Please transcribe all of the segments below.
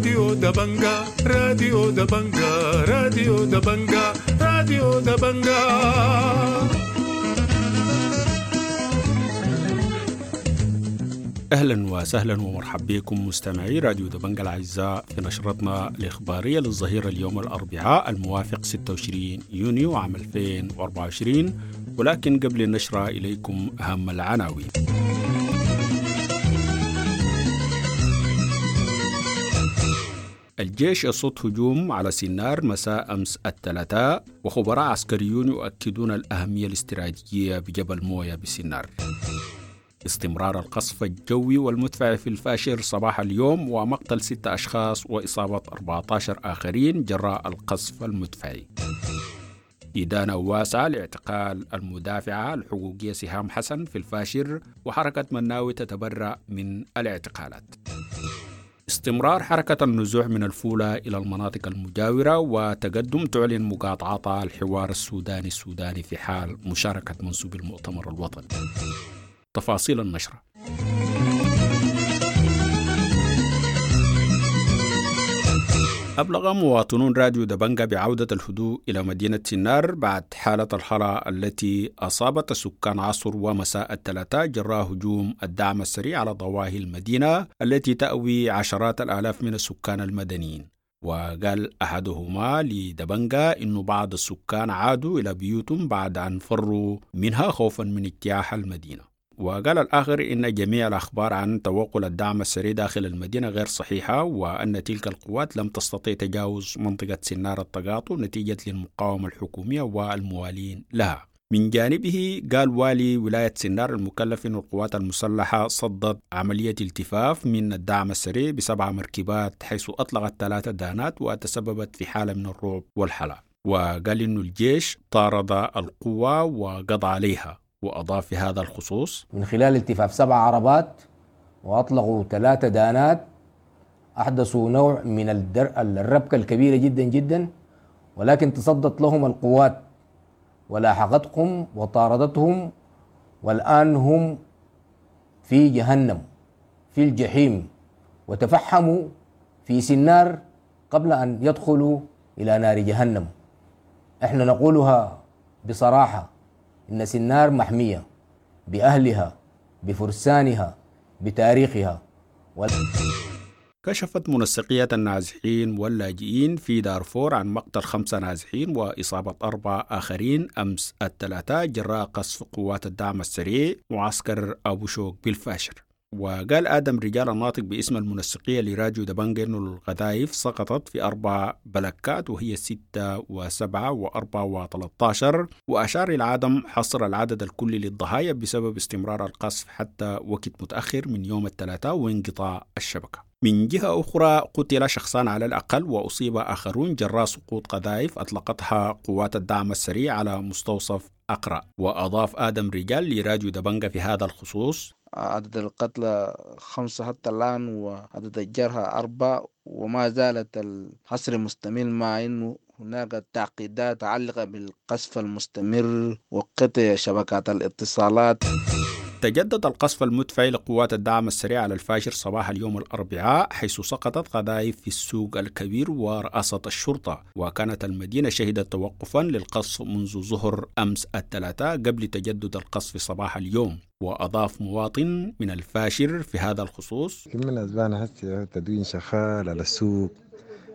راديو دبنجا، راديو دبنجا، راديو دبنجا، راديو دبنجا. أهلا وسهلا ومرحبا بكم مستمعي راديو دبنجا الأعزاء في نشرتنا الإخبارية للظهيرة اليوم الأربعاء الموافق 26 يونيو عام 2024. ولكن قبل النشرة إليكم أهم العناوين. الجيش يصد هجوم على سنار مساء أمس الثلاثاء، وخبراء عسكريون يؤكدون الأهمية الاستراتيجية بجبل موية بسنار. استمرار القصف الجوي والمدفع في الفاشر صباح اليوم ومقتل 6 أشخاص وإصابة 14 آخرين جراء القصف المدفعي. إدانة واسعة لاعتقال المدافعة الحقوقية سهام حسن في الفاشر، وحركة مناوي تتبرأ من الاعتقالات. استمرار حركة النزوح من الفولة إلى المناطق المجاورة، وتقدم تعلن مقاطعتها الحوار السوداني السوداني في حال مشاركة منسوب المؤتمر الوطني. تفاصيل النشرة. أبلغ مواطنون راديو دبنجا بعودة الهدوء إلى مدينة سنار بعد حالة الهلع التي أصابت سكان عصر ومساء الثلاثاء جراء هجوم الدعم السريع على ضواحي المدينة التي تأوي عشرات الآلاف من السكان المدنيين. وقال أحدهما لدبنجا إنه بعض السكان عادوا إلى بيوتهم بعد أن فروا منها خوفا من اجتياح المدينة. وقال الآخر إن جميع الأخبار عن توغل الدعم السريع داخل المدينة غير صحيحة، وأن تلك القوات لم تستطيع تجاوز منطقة سنار التقاطع نتيجة للمقاومة الحكومية والموالين لها. من جانبه قال والي ولاية سنار المكلف أن القوات المسلحة صدت عملية التفاف من الدعم السريع ب7 مركبات، حيث أطلقت 3 دانات وتسببت في حالة من الرعب والحلع. وقال إن الجيش طارد القوة وقضى عليها. وأضاف في هذا الخصوص: من خلال التفاف 7 عربات وأطلقوا 3 دانات أحدثوا نوع من الربكة الكبيرة جدا جدا، ولكن تصدت لهم القوات ولاحقتهم وطاردتهم، والآن هم في جهنم في الجحيم، وتفحموا في سنار قبل أن يدخلوا إلى نار جهنم. احنا نقولها بصراحة، إن سنار محمية بأهلها بفرسانها بتاريخها. كشفت منسقية النازحين واللاجئين في دارفور عن مقتل 5 نازحين وإصابة 4 آخرين أمس الثلاثاء جراء قصف قوات الدعم السريع معسكر أبو شوك بالفاشر. وقال آدم رجال الناطق باسم المنسقية لراديو دبنجا إنه القذائف سقطت في 4 بلكات وهي 6 و7 و4 و13، وأشار إلى عدم حصر العدد الكلي للضحايا بسبب استمرار القصف حتى وقت متأخر من يوم الثلاثاء وانقطاع الشبكة. من جهة أخرى قتل شخصان على الأقل وأصيب آخرون جراء سقوط قذائف أطلقتها قوات الدعم السريع على مستوصف أقرأ. وأضاف آدم رجال لراديو دبنجا في هذا الخصوص: عدد القتلى 5 حتى الآن وعدد الجرحى 4، وما زالت الحصر مستمر، مع أنه هناك تعقيدات متعلقة بالقصف المستمر وقطع شبكات الاتصالات. تجدد القصف المدفعي لقوات الدعم السريع على الفاشر صباح اليوم الأربعاء، حيث سقطت قذائف في السوق الكبير ورئاسة الشرطة، وكانت المدينة شهدت توقفا للقصف منذ ظهر أمس الثلاثاء قبل تجدد القصف صباح اليوم. وأضاف مواطن من الفاشر في هذا الخصوص: من أسبان هسه تدوين شغال على السوق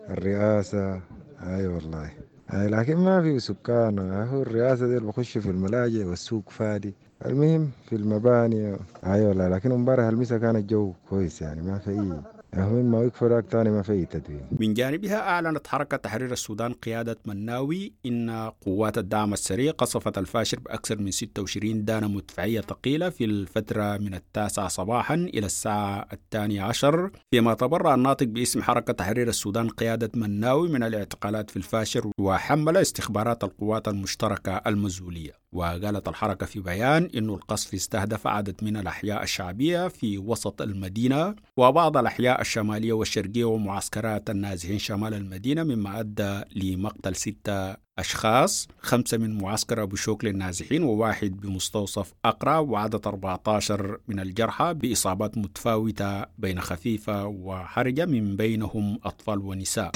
الرئاسة، أي والله، لكن ما في سكان. هو الرئاسة دي بخش في الملاجئ والسوق فادي، المهم في المباني. ايوه والله، لكن امبارح المسا كان الجو كويس، يعني ما في اي المهم ما وقفوا تاني، ما في اي تدوين. من جانبها اعلنت حركه تحرير السودان قياده مناوي ان قوات الدعم السريع قصفت الفاشر باكثر من 26 دانه مدفعيه ثقيله في الفتره من 9 صباحا الى الساعه 12، فيما تبرأ الناطق باسم حركه تحرير السودان قياده مناوي من الاعتقالات في الفاشر وحمل استخبارات القوات المشتركه المزوليه. وقالت الحركة في بيان إنه القصف استهدف عدد من الأحياء الشعبية في وسط المدينة وبعض الأحياء الشمالية والشرقية ومعسكرات النازحين شمال المدينة، مما أدى لمقتل 6 أشخاص، 5 من معسكر أبو شوك للنازحين وواحد بمستوصف أقرى، وعدد 14 من الجرحى بإصابات متفاوتة بين خفيفة وحرجة من بينهم أطفال ونساء.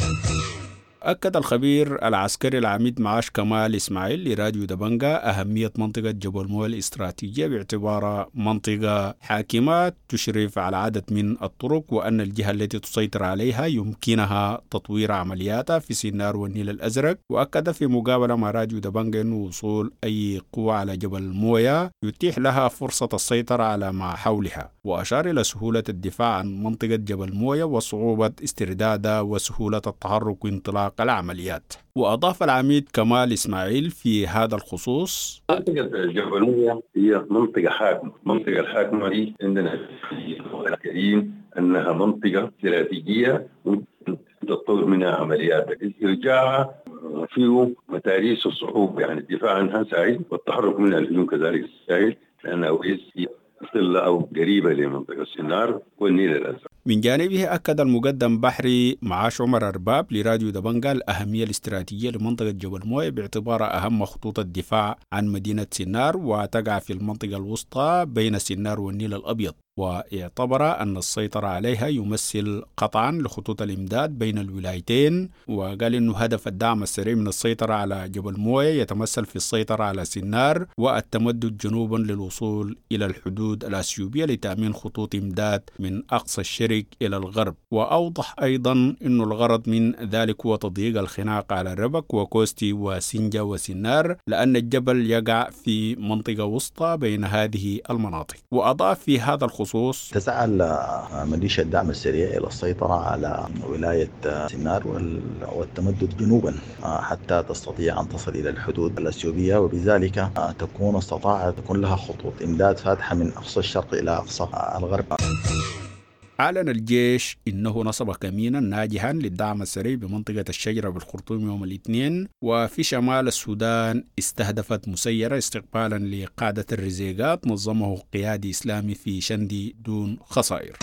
أكد الخبير العسكري العميد معاش كمال إسماعيل لراديو دبنجا أهمية منطقة جبل موية الاستراتيجية باعتبارها منطقة حاكمة تشرف على عدد من الطرق، وأن الجهة التي تسيطر عليها يمكنها تطوير عملياتها في سنار والنيل الأزرق. وأكد في مقابلة مع راديو دبنجا أن وصول أي قوة على جبل موية يتيح لها فرصة السيطرة على ما حولها، وأشار إلى سهولة الدفاع عن منطقة جبل موية وصعوبة استردادها وسهولة التحرك وانطلاق العمليات. وأضاف العميد كمال إسماعيل في هذا الخصوص: منطقة جبل موية هي منطقة حاكمة، المنطقة الحاكمة دي عندنا الكريم أنها منطقة استراتيجية ممكن تطور منها عمليات، استرجاعها فيه متاريس الصعوبة، يعني الدفاع عنها سهل والتحرك منها الهجوم كذلك سهل، لأنها هي صلة أو قريبة لمنطقة السنار والنيل الأزرق. من جانبه أكد المقدم بحري معاش عمر أرباب لراديو دبنجا الأهمية الاستراتيجية لمنطقة جبل موية باعتبارها أهم خطوط الدفاع عن مدينة سنار، وتقع في المنطقة الوسطى بين سنار والنيل الأبيض، واعتبر أن السيطرة عليها يمثل قطعا لخطوط الإمداد بين الولايتين. وقال إنه هدف الدعم السريع من السيطرة على جبل موية يتمثل في السيطرة على سنار والتمدد جنوبا للوصول إلى الحدود الأثيوبية لتأمين خطوط إمداد من أقصى الشرق إلى الغرب. وأوضح أيضا أن الغرض من ذلك هو تضييق الخناق على ربك وكوستي وسنجا وسنار، لأن الجبل يقع في منطقة وسطى بين هذه المناطق. وأضاف في هذا الخصوص: تسعى ميليشيا الدعم السريع إلى السيطرة على ولاية سنار والتمدد جنوبا حتى تستطيع أن تصل إلى الحدود الأثيوبية، وبذلك تكون استطاعت تكون لها خطوط إمداد فاتحة من أقصى الشرق إلى أقصى الغرب. أعلن الجيش إنه نصب كمينا ناجحا للدعم السريع بمنطقة الشجرة بالخرطوم يوم الاثنين. وفي شمال السودان استهدفت مسيرة استقبالا لقادة الرزيقات نظمه قيادي إسلامي في شندي دون خسائر.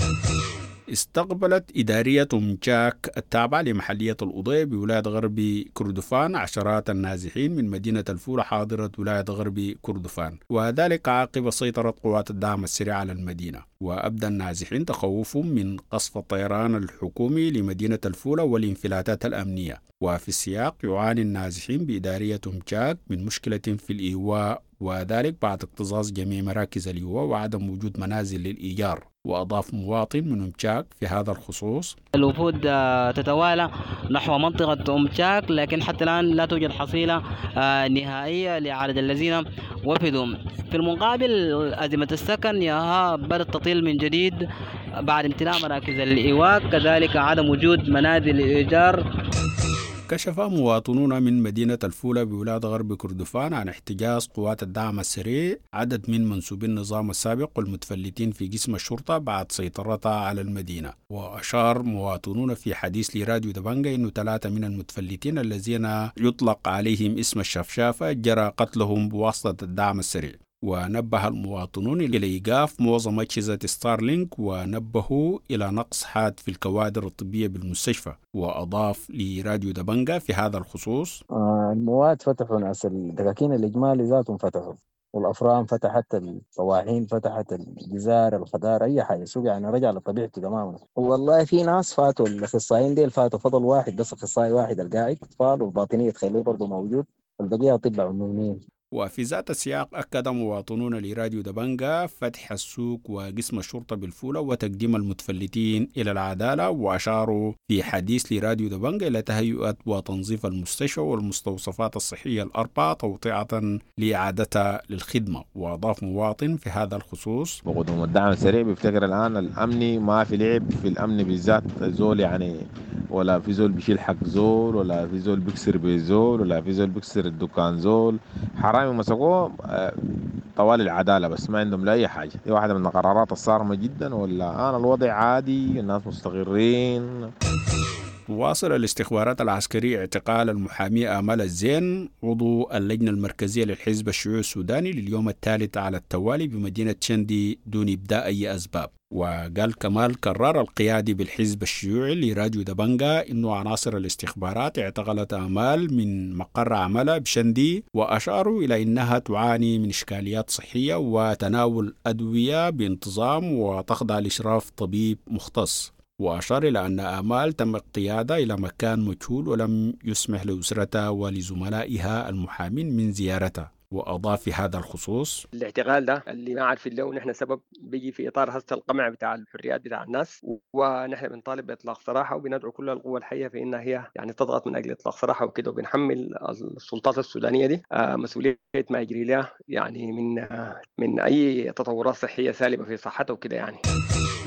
استقبلت إدارية مجاك التابعة لمحلية الأضية بولاية غرب كردفان عشرات النازحين من مدينة الفولة حاضرة ولاية غرب كردفان، وذلك عقب سيطرة قوات الدعم السريع على المدينة. وأبدى النازحين تخوفهم من قصف الطيران الحكومي لمدينة الفولة والانفلاتات الأمنية. وفي السياق يعاني النازحين بإدارية مجاك من مشكلة في الإيواء، وذلك بعد اكتظاظ جميع مراكز الإيواء وعدم وجود منازل للإيجار. وأضاف مواطن من أمشاك في هذا الخصوص: الوفود تتوالى نحو منطقة أمشاك، لكن حتى الآن لا توجد حصيلة نهائية لعدد الذين وفدوا. في المقابل أزمة السكن ياها بدأت تطيل من جديد بعد امتلاء مراكز الإيواء، كذلك عدم وجود منازل للإيجار. كشف مواطنون من مدينة الفولة بولاية غرب كردفان عن احتجاز قوات الدعم السريع عدد من منسوبي النظام السابق والمتفلتين في قسم الشرطة بعد سيطرتها على المدينة. وأشار مواطنون في حديث لراديو دبنجا أنه 3 من المتفلتين الذين يطلق عليهم اسم الشفشافة جرى قتلهم بواسطة الدعم السريع. ونبه المواطنون إلى إيقاف معظم أجهزة ستارلينك، ونبهوا إلى نقص حاد في الكوادر الطبية بالمستشفى. وأضاف لراديو دبنجا في هذا الخصوص: المواد فتحوا، ناس الدكاكين الإجمالي ذاتهم فتحوا، والأفران فتحت، الطواحين فتحت، الجزار، الخضار، أي حاجة، السوق يعني رجع لطبيعته تماما. والله في ناس فاتوا، الأخصائيين ديل فاتوا، فضل واحد بس، أخصائي واحد القاعد، أطفال والباطنية تخليه برضه موجود، البقية أطباء عموميين. وفي ذات السياق أكد مواطنون لراديو دبنجا فتح السوق وقسم الشرطة بالفولة وتقديم المتفلتين إلى العدالة. وأشاروا في حديث لراديو دبنجا إلى تهيئة وتنظيف المستشفى والمستوصفات الصحية الأربعة توطئة لإعادتها للخدمة. وأضاف مواطن في هذا الخصوص: بقدوم الدعم السريع بيفتكر الآن الأمني ما في لعب في الأمن بالذات، زول يعني ولا في زول بيشيل حق زول، ولا في زول بيكسر بزول، ولا في زول بيكسر الدكان زول، حرامي مسكوه طوال العدالة، بس ما عندهم لا أي حاجة. دي واحدة من القرارات الصارمة جدا. ولا أنا الوضع عادي، الناس مستقرين. تواصل الاستخبارات العسكرية اعتقال المحامية آمال الزين عضو اللجنة المركزية للحزب الشيوعي السوداني لليوم الثالث على التوالي بمدينة شندي دون إبداء أي أسباب. وقال كمال كرار القيادي بالحزب الشيوعي لراديو دبنجا إنه عناصر الاستخبارات اعتقلت آمال من مقر عملها بشندي، وأشاروا إلى إنها تعاني من إشكاليات صحية وتناول أدوية بانتظام وتخضع لإشراف طبيب مختص. وأشار إلى أن آمال تم اقتيادها إلى مكان مجهول ولم يسمح لأسرتها ولزملائها المحامين من زيارتها. وأضاف في هذا الخصوص: الاعتقال ده اللي ما عارفين له نحن سبب بيجي في إطار هسه القمع بتاع الحريات بتاع الناس، ونحن بنطالب بإطلاق سراحه وبندعو كل القوى الحية في إنها هي يعني تضغط من أجل إطلاق سراحه وكده، وبنحمل السلطات السودانية دي مسؤولية ما يجري لها يعني من أي تطورات صحية سالبة في صحته وكده يعني.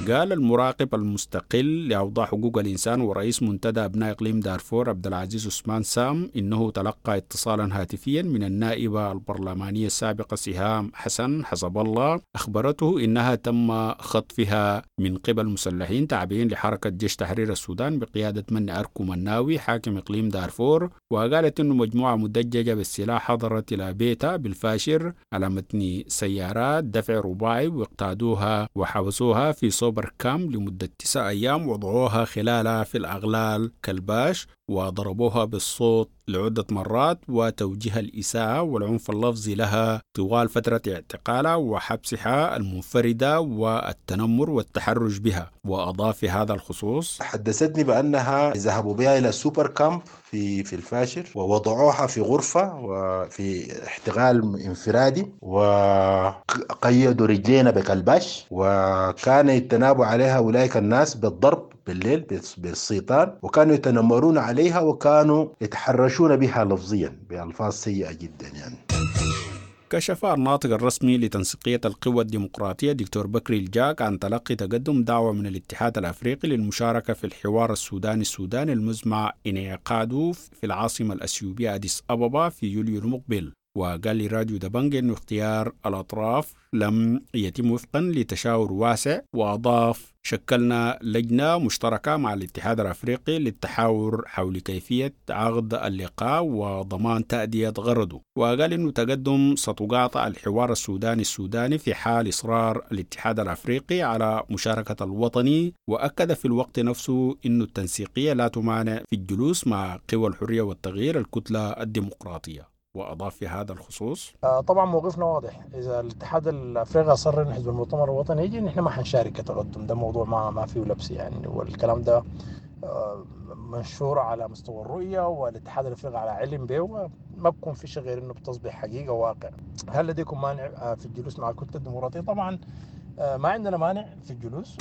قال المراقب المستقل لأوضاع حقوق الإنسان ورئيس منتدى أبناء إقليم دارفور عبد العزيز عثمان سام إنه تلقى اتصالا هاتفيا من النائبة البرلمانية السابقة سهام حسن حسب الله أخبرته إنها تم خطفها من قبل مسلحين تابعين لحركة جيش تحرير السودان بقيادة من أركو مناوي حاكم إقليم دارفور. وقالت إنه مجموعة مدججة بالسلاح حضرت إلى بيتها بالفاشر على متن سيارات دفع رباعي واقتادوها وحبسوها في سوبر كام لمدة 9 أيام، وضعوها خلالها في الأغلال كالباش وضربوها بالصوت لعدة مرات وتوجيه الإساءة والعنف اللفظي لها طوال فترة اعتقالها وحبسها المنفردة والتنمر والتحرش بها. وأضاف في هذا الخصوص: حدثتني بأنها ذهبوا بها إلى سوبر كامب في الفاشر ووضعوها في غرفة وفي احتغال انفرادي وقيدوا رجلينا بكلباش، وكان يتنابوا عليها أولئك الناس بالضرب بالليل بالسيطان، وكانوا يتنمرون عليها وكانوا يتحرشون بها لفظيا بألفاظ سيئة جدا يعني. كشف الناطق الرسمي لتنسيقية القوى الديمقراطية دكتور بكري الجاك عن تلقي تقدم دعوة من الاتحاد الأفريقي للمشاركة في الحوار السوداني السوداني المزمع انعقاده في العاصمة الأثيوبية أديس أبابا في يوليو المقبل. وقال لراديو دبنج أن اختيار الأطراف لم يتم وفقا لتشاور واسع، وأضاف: شكلنا لجنة مشتركة مع الاتحاد الأفريقي للتحاور حول كيفية عقد اللقاء وضمان تأدية غرضه. وقال إنه تقدم ستقاطع الحوار السوداني السوداني في حال إصرار الاتحاد الأفريقي على مشاركة الوطني. وأكد في الوقت نفسه إنه التنسيقية لا تمانع في الجلوس مع قوى الحرية والتغيير الكتلة الديمقراطية. وأضاف في هذا الخصوص: طبعا موقفنا واضح، إذا الاتحاد الأفريقي أصر إن حزب المؤتمر الوطني يجي نحن ما حنشارك كتقدم، ده موضوع ما فيه لبس يعني، والكلام ده منشور على مستوى الرؤية والاتحاد الأفريقي على علم به، ما بكون في شيء غير إنه بتصبح حقيقة واقع. هل لديكم مانع في الجلوس مع الكتلة الديمقراطية؟ طبعا ما عندنا مانع في الجلوس.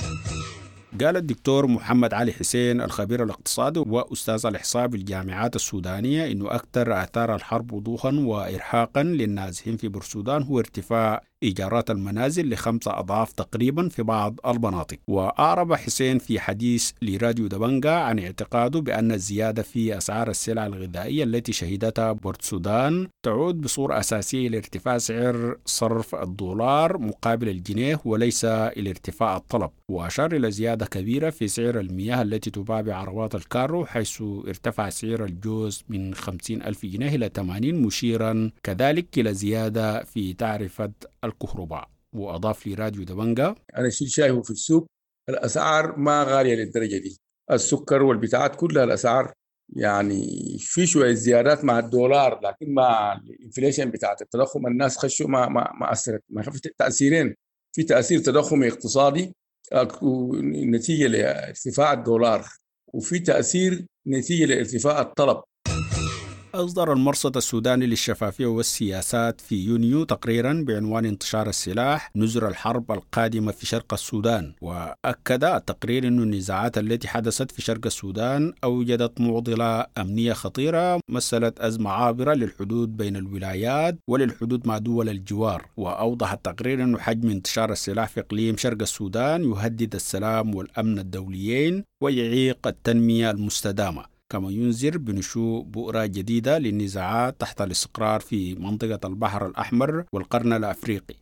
قال الدكتور محمد علي حسين الخبير الاقتصادي وأستاذ الإحصاء بالجامعات السودانية إنه أكثر آثار الحرب وضوحا وإرهاقا للنازحين في بورسودان هو ارتفاع إيجارات المنازل ل5 أضعاف تقريبا في بعض المناطق. وأعرب حسين في حديث لراديو دبنجا عن اعتقاده بأن الزيادة في أسعار السلع الغذائية التي شهدتها بورسودان تعود بصورة أساسية لارتفاع سعر صرف الدولار مقابل الجنيه وليس إلى ارتفاع الطلب. وأشار إلى زيادة كبيرة في سعر المياه التي تباع بعربات الكارو، حيث ارتفع سعر الجوز من 50 ألف جنيه إلى 80، مشيرا كذلك إلى زيادة في تعرفة الكهرباء. وأضاف لراديو دبنجا: أنا شيء شايفه في السوق الأسعار ما غالية للدرجة دي، السكر والبتاعات كلها الأسعار يعني في شوية زيادات مع الدولار، لكن مع ال inflation بتاعت التضخم الناس خشوا ما أثرت، ما في تأثيرين، في تأثير تضخمي اقتصادي نتيجة لارتفاع الدولار، وفي تأثير نتيجة لارتفاع الطلب. أصدر المرصد السوداني للشفافية والسياسات في يونيو تقريرا بعنوان انتشار السلاح نزر الحرب القادمة في شرق السودان. وأكد التقرير أن النزاعات التي حدثت في شرق السودان أوجدت معضلة أمنية خطيرة مثلت أزمة عابرة للحدود بين الولايات وللحدود مع دول الجوار. وأوضح التقرير أن حجم انتشار السلاح في إقليم شرق السودان يهدد السلام والأمن الدوليين ويعيق التنمية المستدامة، كما ينذر بنشوء بؤرة جديدة للنزاعات تحت الاستقرار في منطقة البحر الأحمر والقرن الأفريقي.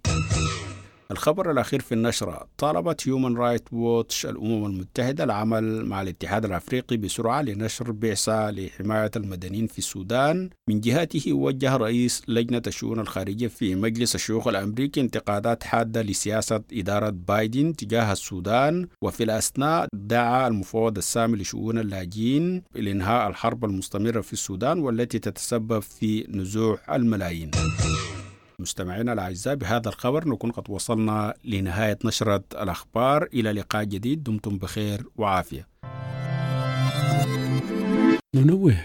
الخبر الأخير في النشرة: طالبت هيومن رايت ووتش الأمم المتحدة العمل مع الاتحاد الأفريقي بسرعة لنشر بعثة لحماية المدنيين في السودان. من جهته وجه رئيس لجنة الشؤون الخارجية في مجلس الشيوخ الأمريكي انتقادات حادة لسياسة إدارة بايدن تجاه السودان. وفي الأثناء دعا المفوض السامي لشؤون اللاجئين لإنهاء الحرب المستمرة في السودان والتي تتسبب في نزوح الملايين. مستمعينا الأعزاء، بهذا الخبر نكون قد وصلنا لنهاية نشرة الأخبار. إلى لقاء جديد، دمتم بخير وعافية. ننوه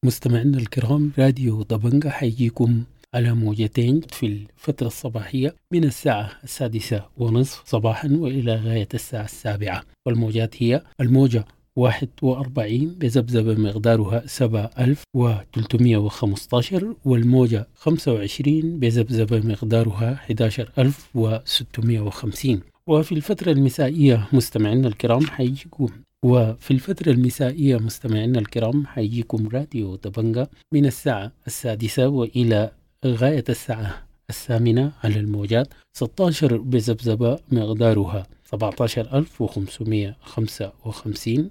مستمعينا الكرام، راديو دبنجة حيجيكم على موجتين في الفترة الصباحية من الساعة 6:30 صباحا وإلى غاية الساعة 7، والموجات هي الموجة 41 بذبذبة مقدارها 7315، والموجة 25 بذبذبة مقدارها 11650. وفي الفترة المسائية مستمعينا الكرام حيجيكم وفي الفترة المسائية مستمعينا الكرام حيجيكم راديو دبنجة من الساعة 6 وإلى غاية الساعة 8 على الموجات 16 بذبذبة مقدارها 17555،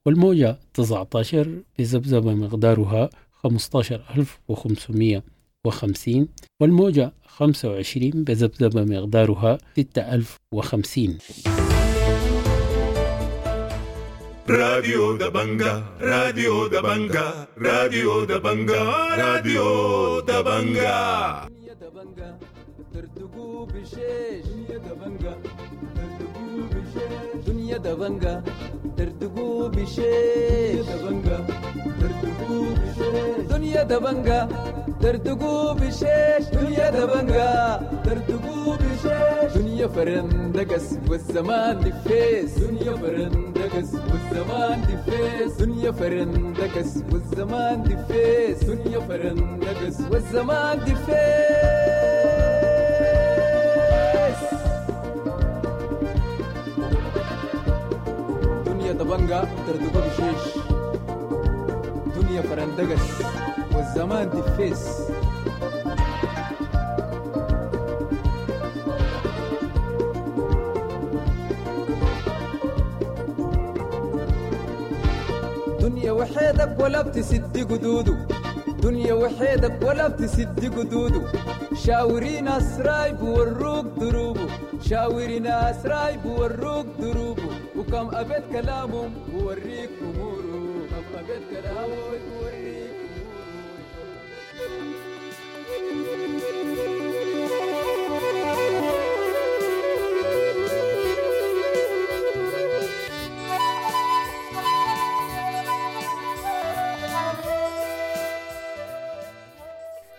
والموجة 19 بذبذبة مقدارها 15550، والموجة 25 بذبذبة مقدارها 6050. راديو دبنجة، راديو دبنجة، راديو دبنجة، راديو دبنجة. ترتقوا بشيش دنيا دبنجة، ترتقوا بشيش دنيا دبنجة، ترتقوا بشيش دبنجة، ترتقوا بشيش دنيا دبنجة، ترتقوا بشيش دنيا دبنجة، ترتقوا بشيش دنيا فرندقس والزمان دفيس، دنيا فرندقس والزمان دفيس، دنيا فرندقس والزمان دفيس، دنيا فرندقس والزمان دفيس. دنيا دبنجة تردقو بشيش، دنيا فرندقس والزمان دفيس. دنيا وحيدك ولا بتسد قدوده، دنيا وحيدك ولا بتسد قدوده، شاوري ناس رايب وروك دروبه، شاوري ناس رايب وروك دروبه، وكم أبيت كلامهم ووريك أموره، كم أبيت كلامهم ووريك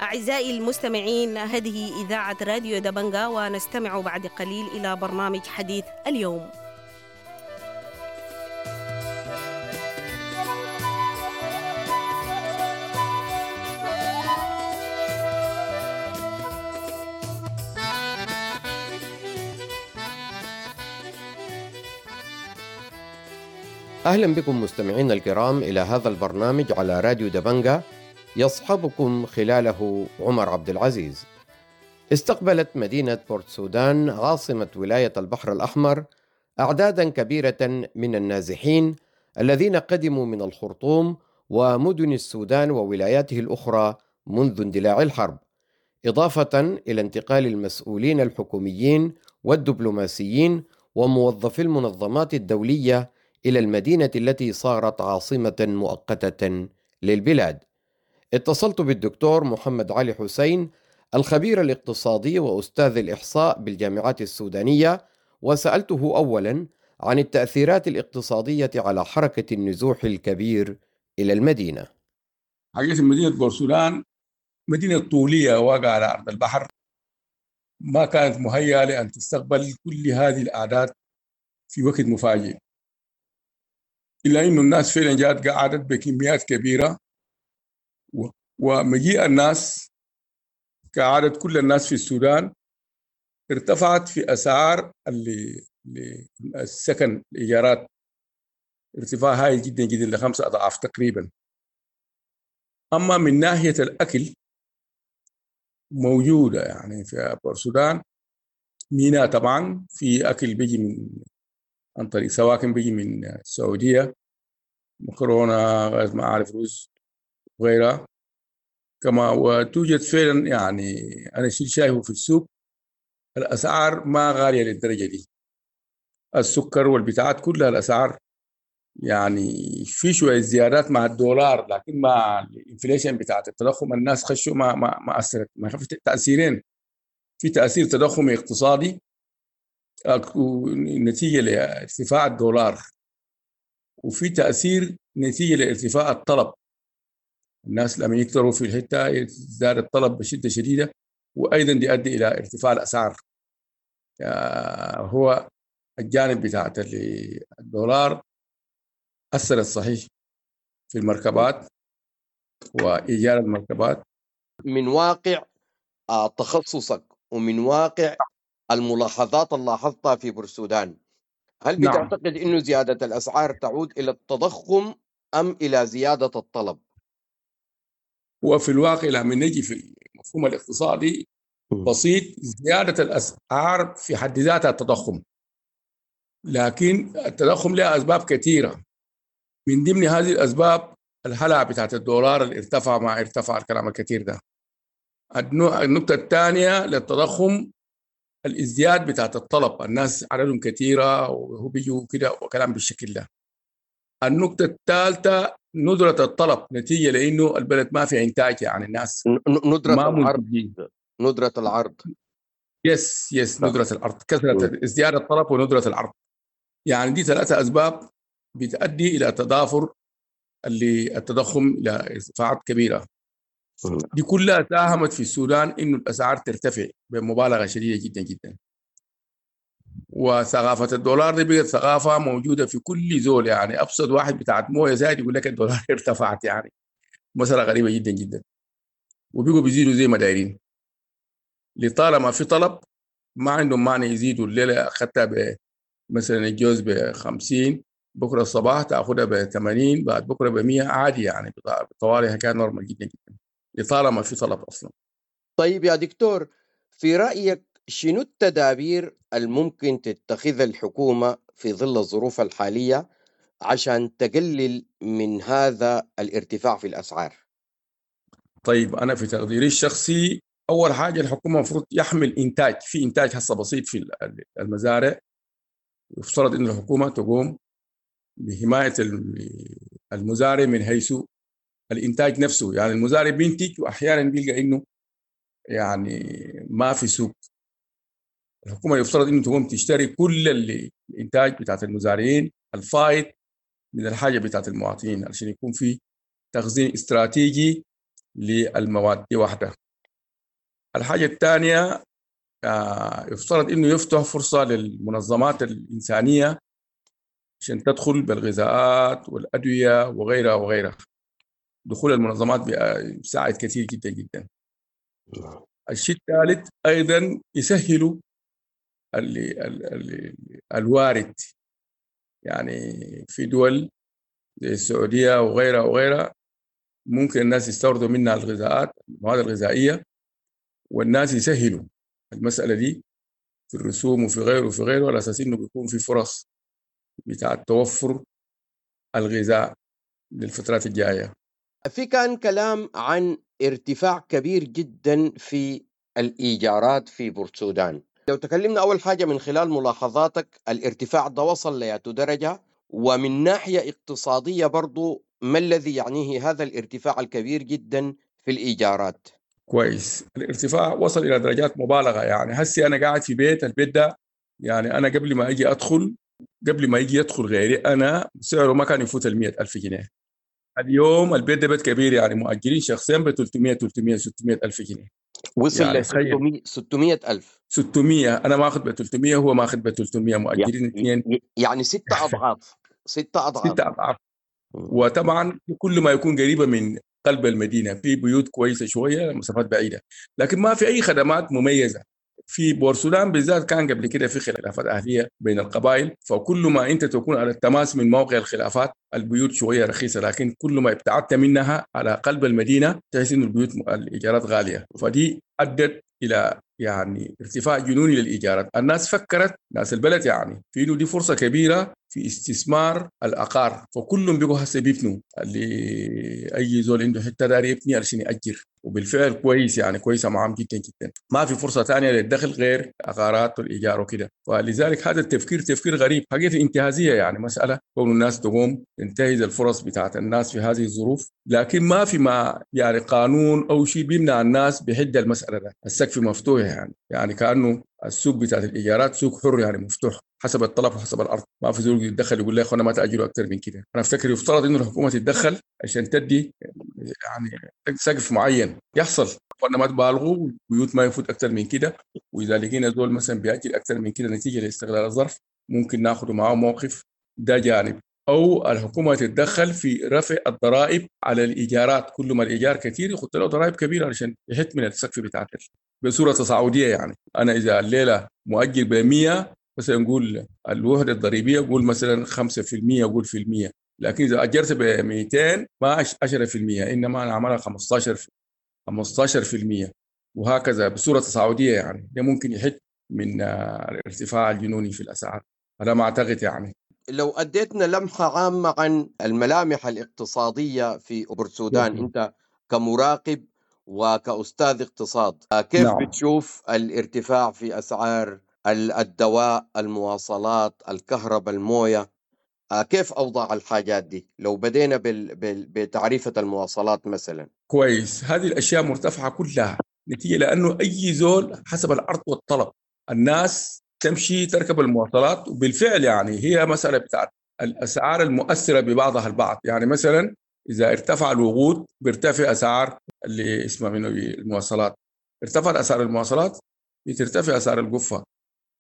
أعزائي المستمعين، هذه إذاعة راديو دبنجة، ونستمع بعد قليل إلى برنامج حديث اليوم. أهلا بكم مستمعينا الكرام إلى هذا البرنامج على راديو دبنجة، يصحبكم خلاله عمر عبد العزيز. استقبلت مدينة بورت سودان عاصمة ولاية البحر الأحمر أعدادا كبيرة من النازحين الذين قدموا من الخرطوم ومدن السودان وولاياته الأخرى منذ اندلاع الحرب، إضافة إلى انتقال المسؤولين الحكوميين والدبلوماسيين وموظفي المنظمات الدولية إلى المدينة التي صارت عاصمة مؤقتة للبلاد. اتصلت بالدكتور محمد علي حسين الخبير الاقتصادي وأستاذ الإحصاء بالجامعات السودانية، وسألته أولا عن التأثيرات الاقتصادية على حركة النزوح الكبير إلى المدينة. حقيقة مدينة بورسودان مدينة طولية واقعة على أرض البحر، ما كانت مهيئة لأن تستقبل كل هذه الأعداد في وقت مفاجئ، إلا إنه الناس فعلا جاءت قعدت بكميات كبيرة، ومجيء الناس كعادة كل الناس في السودان ارتفعت في أسعار السكن، الإيجارات ارتفاع هائل جدا جدا ل5 أضعاف تقريبا. أما من ناحية الأكل موجودة يعني في السودان ميناء طبعا، في أكل بيجي من عن طريق سواكن بيجي من السعودية، مكرونة، غير ما أعرف رز وغيرها كما. وتوجد فعلا يعني أنا شيء شايفه في السوق الأسعار ما غالية للدرجة دي، السكر والبتاعات كلها الأسعار يعني في شوية زيادات مع الدولار، لكن مع ال inflation بتاعت التضخم الناس خشوا ما أثرت. ما في تأثيرين، في تأثير تضخمي اقتصادي نتيجة لارتفاع الدولار، وفي تأثير نتيجة لارتفاع الطلب. الناس لما يكتروا في الحتة يزداد الطلب بشدة شديدة، وأيضا يؤدي إلى ارتفاع الأسعار. هو الجانب بتاع الدولار أثر الصحيح في المركبات وإيجار المركبات. من واقع تخصصك ومن واقع الملاحظات اللي لاحظتها في بورسودان، هل بتعتقد إنه زيادة الأسعار تعود إلى التضخم أم إلى زيادة الطلب؟ وفي الواقع لما نجي في المفهوم الاقتصادي بسيط، زيادة الأسعار في حد ذاتها التضخم، لكن التضخم له أسباب كثيرة. من ضمن هذه الأسباب الهلع بتاعت الدولار اللي ارتفع مع ارتفع الكلام الكثير ده. النقطة الثانية للتضخم الازدياد بتاعت الطلب، الناس عددهم كثيرة وهو بيجوا كده وكلام بالشكل ده. النقطة الثالثة ندرة الطلب نتيجة لأنه البلد ما في إنتاج، يعني الناس ندرة العرض، ندرة العرض. yes ندرة العرض، كثرة ازدياد الطلب وندرة العرض. يعني دي ثلاثة أسباب بتؤدي إلى تضافر اللي التضخم إلى ارتفاعات كبيرة. دي كلها ساهمت في السودان إنه الأسعار ترتفع بمبالغة شديدة جدا جدا. وثقافة الدولار دي بقت ثقافة موجودة في كل زول، يعني أبسط واحد بتاعت موية زايد يقول لك الدولار ارتفعت، يعني مسألة غريبة جدا جدا. وبيقوا بيزيدوا زي ما دايرين، لطالما في طلب ما عندهم معنى يزيدوا. الليلة أخذتها مثلا الجوز ب50، بكرة الصباح تأخذها ب80، بعد بكرة ب100 عادي، يعني طوالي كان normal جدا جدا لطالما في طلب أصلا. طيب يا دكتور، في رأيك شنو التدابير الممكن تتخذها الحكومة في ظل الظروف الحالية عشان تقلل من هذا الارتفاع في الأسعار؟ طيب أنا في تقديري الشخصي أول حاجة الحكومة المفروض يحمل إنتاج، في إنتاج هسه بسيط في المزارع، يفترض أن الحكومة تقوم بحماية المزارع من حيث الإنتاج نفسه. يعني المزارع بينتج وأحيانا بيلقى إنه يعني ما في سوق. الحكومة يفترض إنه تقوم تشتري كل الإنتاج بتاعت المزارعين الفائض من الحاجة بتاعت المواطنين، عشان يكون في تخزين استراتيجي للمواد دي واحدة. الحاجة الثانية يفترض إنه يفتح فرصة للمنظمات الإنسانية عشان تدخل بالغذاءات والأدوية وغيرها وغيرها. دخول المنظمات بيساعد كثير جدا جدا. الشيء الثالث أيضا يسهلوا الوارد، يعني في دول زي السعودية وغيرها وغيرها ممكن الناس يستوردوا منها الغذاءات، المواد الغذائية، والناس يسهلوا المسألة دي في الرسوم وفي غيره وفي غيره، على أساس إنه بيكون في فرص بتاع توفر الغذاء للفترات الجاية. في كان كلام عن ارتفاع كبير جدا في الإيجارات في بورتسودان. لو تكلمنا أول حاجة من خلال ملاحظاتك، الارتفاع ده وصل لأي درجة؟ ومن ناحية اقتصادية برضو ما الذي يعنيه هذا الارتفاع الكبير جدا في الإيجارات؟ كويس، الارتفاع وصل إلى درجات مبالغة. يعني هسي أنا قاعد في بيت، البيت ده يعني أنا قبل ما أجي أدخل، قبل ما يجي يدخل غيري أنا سعره ما كان يفوت 100,000 جنيه. اليوم البيت ده بيت كبير، يعني مؤجرين شخصيا ب 300 300 600 ألف جنيه. وصل يعني ل 600 ألف. 600، أنا ماخذ ب 300، هو ماخذ ب 300، مؤجرين اثنين، يعني 6 أضعاف. 6 أضعاف. 6 أضعاف. وطبعا كل ما يكون قريبة من قلب المدينة في بيوت كويسة شوية، مسافات بعيدة، لكن ما في أي خدمات مميزة. في بورسودان بالذات كان قبل كده في خلافات أهلية بين القبائل، فكل ما أنت تكون على التماس من موقع الخلافات البيوت شوية رخيصة، لكن كل ما ابتعدت منها على قلب المدينة تحس إنه البيوت الإيجارات غالية، فدي أدت إلى يعني ارتفاع جنوني للايجارات. الناس فكرت، ناس البلد يعني، في انه دي فرصة كبيرة في استثمار العقار، فكلهم بقوا هسه بيبنوا، اللي اي زول عنده حتة داير يبني علشان ياجر، وبالفعل كويس يعني، كويسة معهم جدا جدا. ما في فرصة ثانية للدخل غير عقارات والايجار وكده. ولذلك هذا التفكير تفكير غريب حقيقة، انتهازيه يعني، مسالة كون الناس تقوم تنتهز الفرص بتاعت الناس في هذه الظروف. لكن ما في ما يعني قانون او شيء بيمنع الناس بحد المسالة ده، السقف مفتوح يعني كانه السوق بتاعت الايجارات سوق حر يعني، مفتوح حسب الطلب وحسب الارض. ما في زول يتدخل يقول لي اخوانا ما تاجروا اكثر من كده. انا افتكر يفترض انه الحكومة تتدخل عشان تدي يعني سقف معين يحصل، اخوانا ما تبالغوا، البيوت ما يفوت اكثر من كده، واذا لقينا زول مثلا بيأجل اكثر من كده نتيجة لاستغلال الظرف ممكن ناخذ معه موقف. ده جانب. او الحكومة تتدخل في رفع الضرائب على الايجارات، كل ما الايجار كثير يحط له ضرائب كبيرة عشان يحد من السقف بتاعت بصورة تصاعدية. يعني انا اذا الليلة مؤجر ب 100 مثلا، نقول الوحدة الضريبية قول مثلا 5%، قول في المية، لكن اذا اجرت ب 200 ما 10%، انما انا عملها 15% وهكذا بصورة تصاعدية. يعني ده ممكن يحد من الارتفاع الجنوني في الاسعار، هذا ما اعتقد يعني. لو أديتنا لمحة عامة عن الملامح الاقتصادية في بورسودان، أنت كمراقب وكأستاذ اقتصاد، كيف بتشوف الارتفاع في أسعار الدواء، المواصلات، الكهرباء، الموية؟ كيف أوضاع الحاجات دي؟ لو بدينا بتعريفة المواصلات مثلا. كويس، هذه الأشياء مرتفعة كلها نتيجة لأنه أي زول حسب العرض والطلب، الناس تمشي تركب المواصلات. وبالفعل يعني هي مسألة بتاعت الأسعار المؤثرة ببعضها البعض. يعني مثلا إذا ارتفع الوقود بيرتفع أسعار اللي اسمها منه المواصلات، ارتفعت أسعار المواصلات بترتفع أسعار القفة،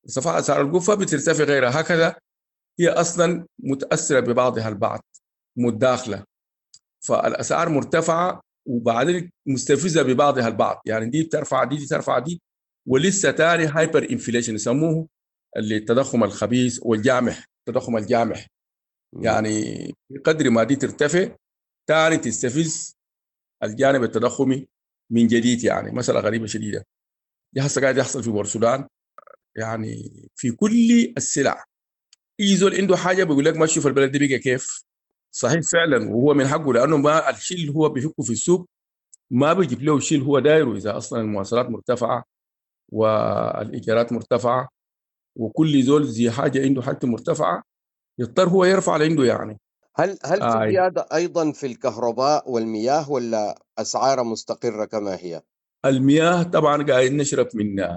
ارتفع أسعار القفة بترتفع غيرها، هكذا هي أصلا متأثرة ببعضها البعض، متداخلة. فالأسعار مرتفعة وبعدين مستفزة ببعضها البعض، يعني دي بترفع دي، دي ترفع دي، ولسه تاني hyperinflation يسموه، اللي التضخم الخبيث والجامح، التضخم الجامح. يعني بقدر ما دي ترتفع تاني تستفز الجانب التضخمي من جديد. يعني مسألة غريبة شديدة دي هسه قاعد يحصل في بورسودان، يعني في كل السلع. اي زول عنده حاجة بيقول لك ما تشوف البلد دي بقى كيف. صحيح فعلا، وهو من حقه، لانه ما الشيء اللي هو بيفكه في السوق ما بيجيب له الشيء اللي هو دايرة. اذا اصلا المواصلات مرتفعة والايجارات مرتفعة وكل زول زي حاجة عنده حاجته مرتفعة، يضطر هو يرفع اللي عنده. يعني هل في زيادة ايضا في الكهرباء والمياه ولا اسعارها مستقره كما هي؟ المياه طبعا قاعد نشرب من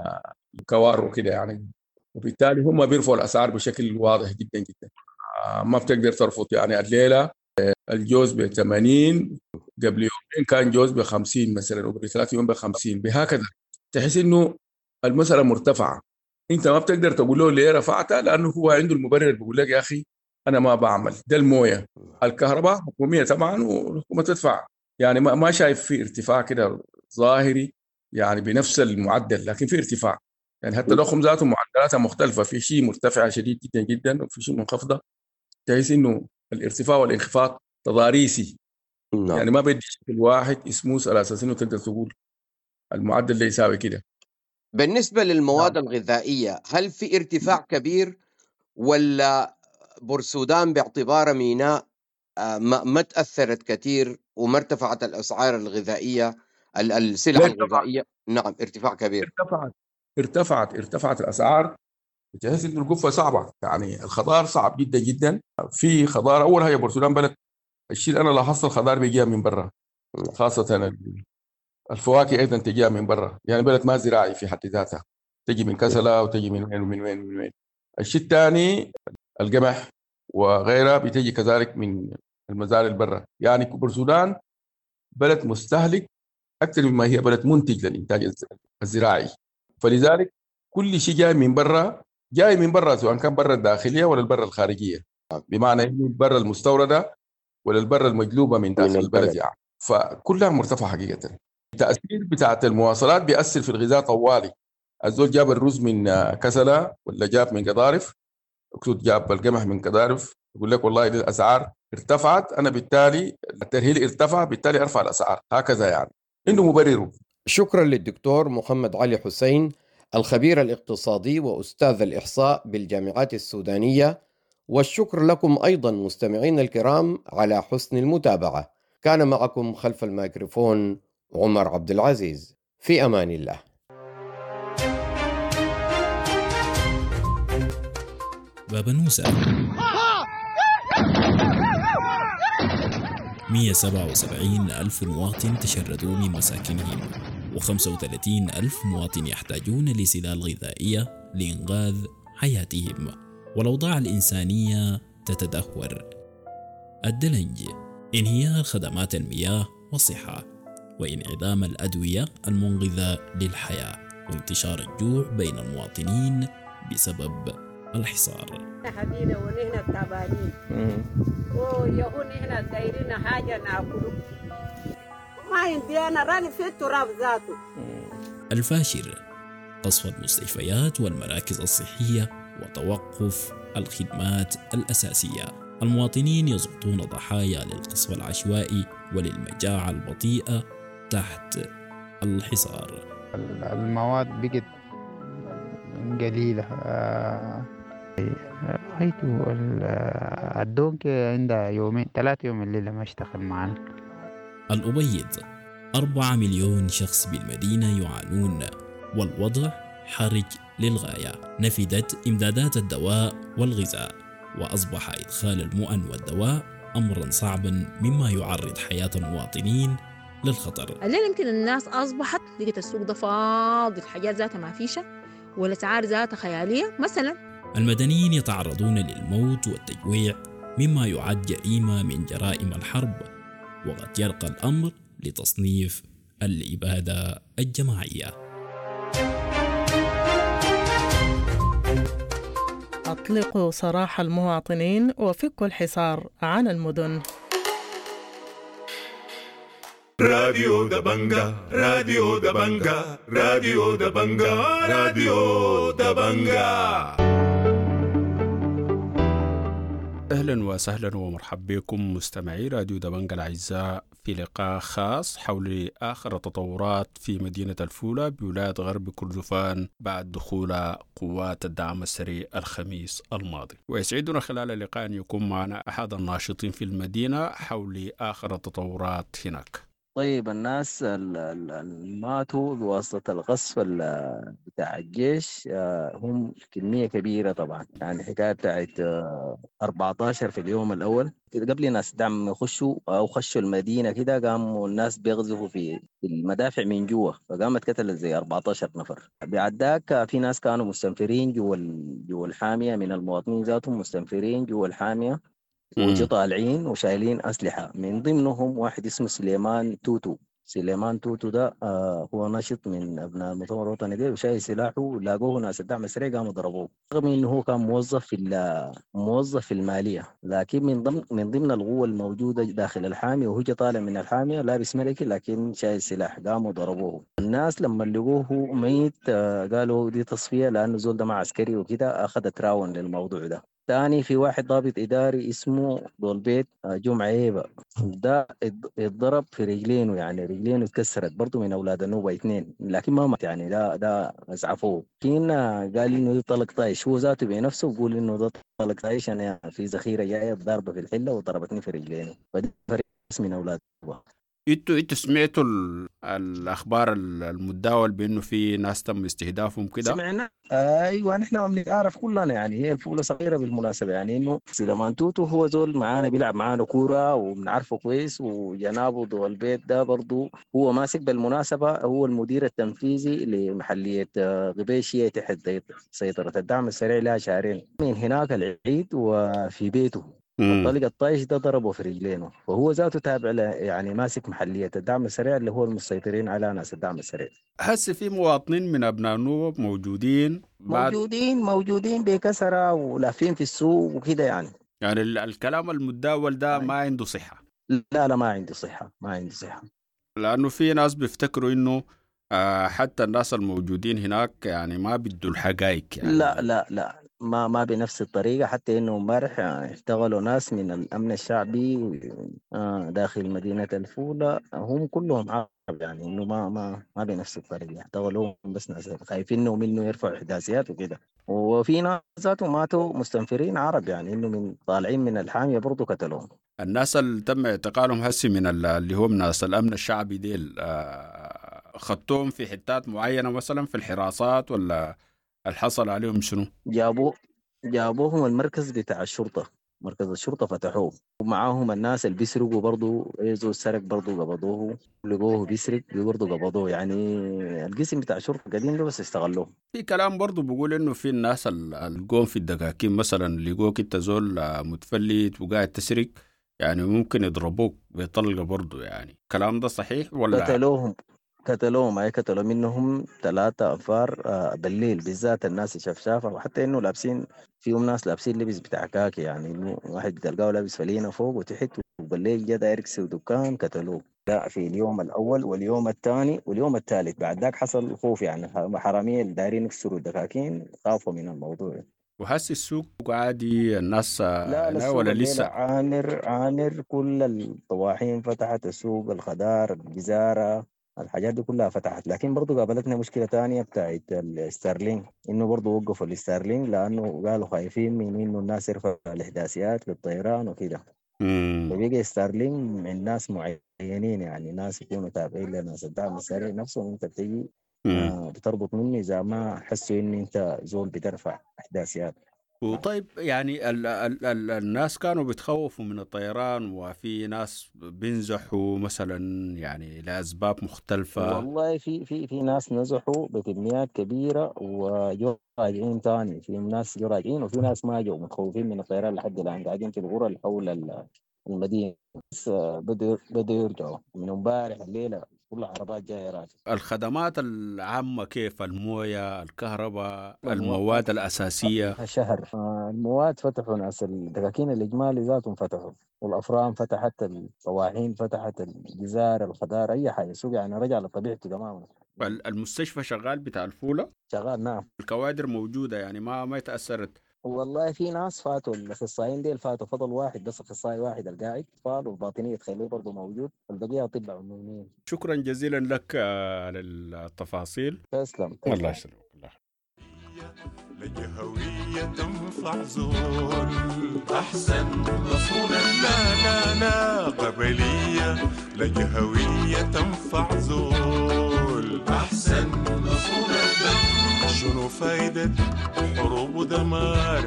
كوار وكده يعني، وبالتالي هم بيرفعوا الاسعار بشكل واضح جدا جدا، ما بتقدر ترفض. يعني الليلة الجوز ب 80، قبل يومين كان جوز ب 50 مثلا، وقبل 3 يوم ب 50، بهكذا. تحس انه المسالة مرتفعة، انت ما بتقدر تقول له ليه رفعتها، لانه هو عنده المبرر، بيقول لك يا اخي انا ما بعمل ده. المويه، الكهرباء حكومية طبعا والحكومة تدفع، يعني ما شايف في ارتفاع كده ظاهري يعني بنفس المعدل، لكن في ارتفاع. يعني حتى التضخم ذاته معدلاتها مختلفة، في شيء مرتفعة شديد جدا جدا وفي شيء منخفضة. تحس انه الارتفاع والانخفاض تضاريسي. يعني ما بدي شكل واحد اسمه على اساس انه تقدر تقول المعدل اللي يساوي كده. بالنسبة للمواد الغذائية، هل في ارتفاع كبير ولا بورسودان باعتبارها ميناء ما تأثرت كثير وما ارتفعت الأسعار الغذائية، السلع الغذائية؟ نعم، ارتفاع كبير. ارتفعت الأسعار. تحس إنه القفة صعبة، يعني الخضار صعب جدا جدا. في خضار، أول حاجة بورسودان بلد الشيء اللي أنا لاحظت الخضار بيجيها من برا، خاصة الفواكه أيضا تجيها من برا، يعني بلد ما زراعي في حد ذاتها، تجي من كسلة وتجي من وين ومن وين ومن وين. الشيء الثاني القمح وغيرها بتجي كذلك من المزارع البرة. يعني بورسودان بلد مستهلك أكثر مما هي بلد منتج للإنتاج الزراعي، فلذلك كل شيء جاي من برا، جاي من برا، سواء كان برا الداخلية ولا البرة الخارجية، بمعنى إنه البرة المستوردة ولا البرة المجلوبة من داخل البلد يعني. فكلها مرتفعة حقيقة. التأثير بتاعت المواصلات بيأثر في الغذاء طوالي. الزول جاب الرز من كسلة ولا جاب من قضارف، اقصد جاب القمح من قضارف، يقول لك والله الأسعار ارتفعت، أنا بالتالي الترهيل ارتفع، بالتالي أرفع الأسعار، هكذا يعني عنده مبررة. شكرا للدكتور محمد علي حسين الخبير الاقتصادي وأستاذ الإحصاء بالجامعات السودانية، والشكر لكم أيضا مستمعين الكرام على حسن المتابعة. كان معكم خلف الميكروفون عمر عبد العزيز، في أمان الله. بابنوسة 177 ألف مواطن تشردوا من مساكنهم، و35 ألف مواطن يحتاجون لسلال غذائية لإنقاذ حياتهم، والأوضاع الإنسانية تتدهور. الدلنج، انهيار خدمات المياه والصحة، وانعدام الأدوية المنقذة للحياة، وانتشار الجوع بين المواطنين بسبب الحصار. حبينا ونحن تعبانين ويهون نحن دايرين حاجة ناكله، ما عندي أنا راني في التراب ذاته. الفاشر، قصف المستشفيات والمراكز الصحية وتوقف الخدمات الأساسية. المواطنين يسقطون ضحايا للقصف العشوائي وللمجاعة البطيئة تحت الحصار. المواد بقت قليلة، حيث الدونك عندها يومين 3 يوم الليلة ما اشتغل معنا. الأبيض، 4 مليون شخص بالمدينة يعانون، والوضع حرج للغاية. نفدت إمدادات الدواء والغذاء، وأصبح إدخال المؤن والدواء أمرا صعبا، مما يعرض حياة المواطنين للخطر. الليلة يمكن الناس أصبحت لقيت السوق ده فاضي، الحاجات ذاتها ما فيشة والأسعار ذاتها خيالية. مثلا المدنيين يتعرضون للموت والتجويع، مما يعد جريمة من جرائم الحرب، وقد يرقى الأمر لتصنيف الإبادة الجماعية. أطلقوا سراح المواطنين وفكوا الحصار عن المدن. راديو دبنجا، راديو دبنجا، راديو دبنجا، راديو دبنجا. أهلا وسهلا ومرحبا بكم مستمعي راديو دبنجا الأعزاء في لقاء خاص حول آخر التطورات في مدينة الفولة بولاية غرب كردفان بعد دخول قوات الدعم السريع الخميس الماضي. ويسعدنا خلال اللقاء أن يكون معنا أحد الناشطين في المدينة حول آخر التطورات هناك. طيب، الناس اللي ماتوا بواسطة القصف بتاع الجيش هم كمية كبيرة طبعا، يعني حكاية بتاعت 14 في اليوم الأول قبل ناس دعم يخشوا أو خشوا المدينة كده، قاموا الناس بيغزفوا في المدافع من جوا، فقامت قتلت زي 14 نفر. بعد ذاك في ناس كانوا مستنفرين جوا الحامية، من المواطنين ذاتهم مستنفرين جوا الحامية وجو طالعين وشايلين أسلحة، من ضمنهم واحد اسمه سليمان توتو. سليمان توتو ده هو نشط من أبناء المؤتمر الوطني ده، وشايل سلاحه، لاقوه ناس الدعم السريع قاموا ضربوه، رغم إنه هو كان موظف في المالية، لكن من ضمن القوة الموجودة داخل الحامية، وهو طالع من الحامية لابس ملكي لكن شايل سلاح، قاموا ضربوه. الناس لما لقوه ميت قالوا دي تصفية لأنه زول ده مع عسكري وكده، أخذت راون للموضوع ده. تاني في واحد ضابط إداري اسمه دولبيت جمعة عيبة، ده اتضرب في رجلينه، يعني رجلينه اتكسرت، برضه من أولاد النوبة 2، لكن ما مات يعني، ده أسعفوه. لكن قال إنه ده طلق طايش، هو ذاته بنفسه بيقول إنه ده طلق طايش، أنا في ذخيرة جاية ضاربة في الحلة وضربتني في رجلينه. فدي فريق من أولاد النوبة. انتوا سمعتوا الاخبار المتداول بانه في ناس تم استهدافهم كده؟ سمعنا، ايوه، نحن ما بنعرف كلنا يعني، هي الفوله صغيره بالمناسبه، يعني انه سليمان توتو هو زول معانا بيلعب معانا كوره وبنعرفه كويس، وجنابه ضو البيت ده برضه هو ماسك بالمناسبه، هو المدير التنفيذي لمحليه غبيشيه تحت سيطره الدعم السريع لها شهرين من هناك العيد، وفي بيته الطلق الطايش ده ضربه في رجلينه، فهو ذاته تابع يعني ماسك محلية الدعم السريع اللي هو المسيطرين على ناس الدعم السريع. هسه في مواطنين من أبناء النوب موجودين بعد موجودين بكثرة ولافين في السوق وكده يعني. يعني الكلام المتداول ده ما عنده صحة. لا ما عنده صحة، ما عنده صحة. لأنه في ناس بيفتكروا إنه حتى الناس الموجودين هناك يعني ما بدوا الحقائق يعني. لا لا لا ما بنفس الطريقة، حتى إنه امبارح اشتغلوا ناس من الأمن الشعبي داخل مدينة الفولة، هم كلهم عرب، يعني إنه ما بنفس الطريقة اشتغلوا، بس ناس خايفين إنه يرفعوا إحداثيات وكده. وفي ناس ذاتهم ماتوا مستنفرين عرب، يعني إنه من طالعين من الحامية برضو قتلوهم. الناس اللي تم اعتقالهم هسي من اللي هم ناس الأمن الشعبي ديل، خدتهم في حتات معينة مثلا في الحراسات ولا الحصل عليهم شنو؟ جابوهم المركز بتاع الشرطة، مركز الشرطة فتحوه، ومعاهم الناس اللي بيسرقوا برضو، زول سرق برضو قبضوه، لقوه بيسرق برضو قبضوه، يعني القسم بتاع الشرطة قديم ده بس استغلوه. في كلام برضو بيقول إنه في الناس القوم في الدكاكين مثلا لقوك أنت زول متفلت وقاعد تسرق، يعني ممكن يضربوك بطلقة برضو، يعني الكلام ده صحيح ولا؟ قتلوهم أي قتلوا منهم 3 أنفار بالليل، بالذات الناس الشفشافة، وحتى إنه لابسين فيهم ناس لابسين لبس بتاع كاكي، يعني إنه واحد بتلقاه لابس فلينة فوق وتحت، وبالليل جا داير يكسر دكان قتلوه. لا، في اليوم الأول واليوم الثاني واليوم الثالث بعد ذاك حصل خوف، يعني حرامية اللي دايرين يكسروا الدكاكين خافوا من الموضوع. وحس السوق عادي الناس؟ لا ولا لسه؟ عامر كل الطواحين فتحت، السوق، الخضار، الجزارة، الحاجات دي كلها فتحت. لكن برضو قابلتنا مشكلة تانية بتاعت الستارلينك، إنه برضو وقفوا الستارلينك لأنه قالوا خايفين من إنه الناس يرفعوا الإحداثيات للطيران وكده. فبقى ستارلينك من ناس معينين، يعني ناس يكونوا تابعين لناس الدعم السريع نفسهم، أنت بتيجي بتربط مني إذا ما حسوا إن أنت زول بترفع إحداثيات. وطيب يعني ال ال ال الناس كانوا بيتخوفوا من الطيران، وفي ناس بينزحوا مثلا يعني لأسباب مختلفة. والله في في في ناس نزحوا بكميات كبيرة وجو راجعين تاني، في ناس جو راجعين وفي ناس ما جو، متخوفين من الطيران لحد الآن، قاعدين في الغرى اللي حول المدينة، بس بدوا يرجعوا من امبارح الليلة كل العربات جاية راجعة. الخدمات العامة كيف؟ الموية، الكهرباء، المواد الأساسية؟ شهر المواد فتحوا، ناس الدكاكين الإجمالي ذاتهم فتحوا، والأفران فتحت، الطواحين فتحت، الجزار، الخضار، أي حاجة، السوق يعني رجع لطبيعته تماما. المستشفى شغال بتاع الفولة؟ شغال نعم. الكوادر موجودة يعني ما تأثرت؟ والله في ناس فاتوا، الاخصائيين ديل فاتوا، فضل واحد بس، اخصائي واحد القاعد اطفال والباطنيه تخليه برضه موجود، والبقيه اطباء عموميين. شكرا جزيلا لك على التفاصيل. تسلم. الله يسلمك. لجهوية تنفع زول أحسن رسولا، لا لا لا قبلية، لجهوية تنفع زول أحسن رسولا. شنو فايدة حروب ودمار،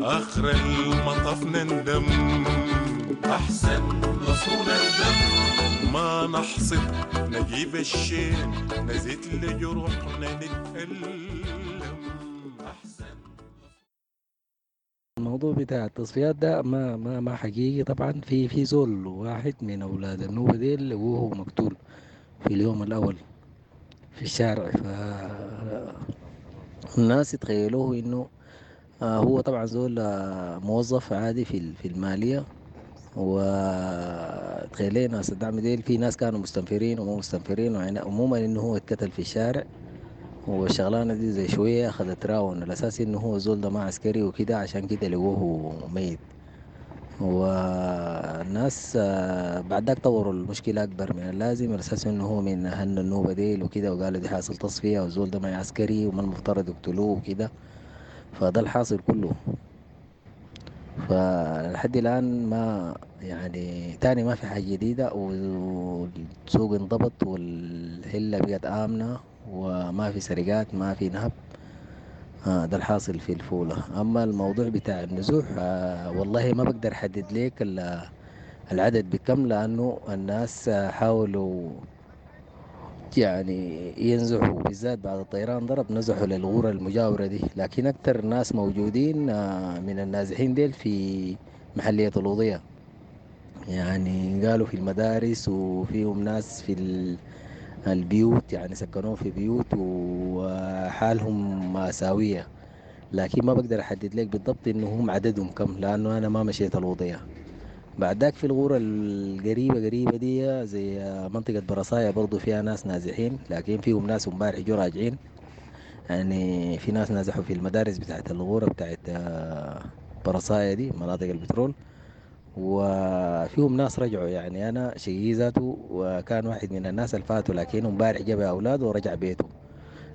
آخر المطاف نندم، أحسن رسول الدم، ما نحصد نجيب الشين، نزيد لجروحنا نتألم. أحسن. الموضوع بتاع التصفيات ده ما ما ما حقيقي طبعا. في زول واحد من أولاد النوبة ديل وهو مقتول في اليوم الأول في الشارع، فالناس يتخيلوه إنه هو طبعا زول موظف عادي في المالية، وتخيلين ناس الدعم ديل في ناس كانوا مستنفرين وما مستنفرين، ويعني عموما إنه هو اتقتل في الشارع، والشغلانة دي زي شوية أخذت راون الأساس إنه هو زول ده ما عسكري وكده، عشان كده لقوه ميت. والناس بعد ذاك طوروا المشكلة أكبر من اللازم، على أساس إنه هو من أهل النوبة ديل وكده، وقالوا دي حاصل تصفية والزول ده ما عسكري وما المفترض يقتلوه وكده، فده الحاصل كله. فلحد الآن ما يعني تاني ما في حاجة جديدة، والسوق انضبط والحلة بقت آمنة وما في سرقات ما في نهب. ده الحاصل في الفولة. أما الموضوع بتاع النزوح والله ما بقدر أحدد لك العدد بكم، لأنه الناس حاولوا يعني ينزحوا، بالذات بعد الطيران ضرب نزحوا للغورة المجاورة دي، لكن أكثر ناس موجودين من النازحين ديل في محلية الوضية، يعني قالوا في المدارس، وفيهم ناس في البيوت، يعني سكنوهم في بيوت وحالهم مأساوية، لكن ما بقدر أحدد لك بالضبط إنه هم عددهم كم، لأنه أنا ما مشيت الوضية. بعد ذاك في الغورة القريبة قريبة دي زي منطقة برصايا برضو فيها ناس نازحين، لكن فيهم ناس امبارح جو راجعين، يعني في ناس نزحوا في المدارس بتاعت الغورة بتاعت برصايا دي، مناطق البترول، وفيهم ناس رجعوا. يعني أنا شقيقي ذاته وكان واحد من الناس اللي فاتوا، لكن امبارح جاب أولاده ورجع بيته.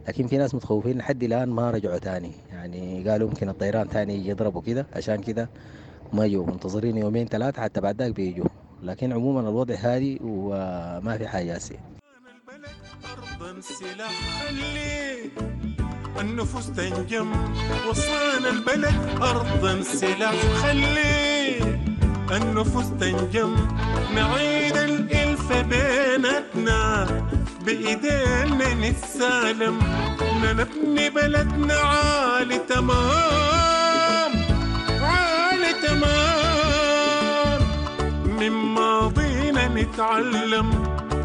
لكن في ناس متخوفين لحد الآن ما رجعوا تاني، يعني قالوا ممكن الطيران تاني يجي يضربوا كده، عشان كده ما يجوا، منتظرين يومين ثلاثة حتى بعد ذاك بيجوا. لكن عموما الوضع هادي وما في حاجة هسه. أرضا سلاح خلي النفوس تنجم، وصانا البلد أرضا سلاح خلي النفوس تنجم، نعيد الإلفة بيناتنا بإيدينا نتسالم، نبني بلدنا عالي تمام عالي تمام، من ماضينا نتعلم،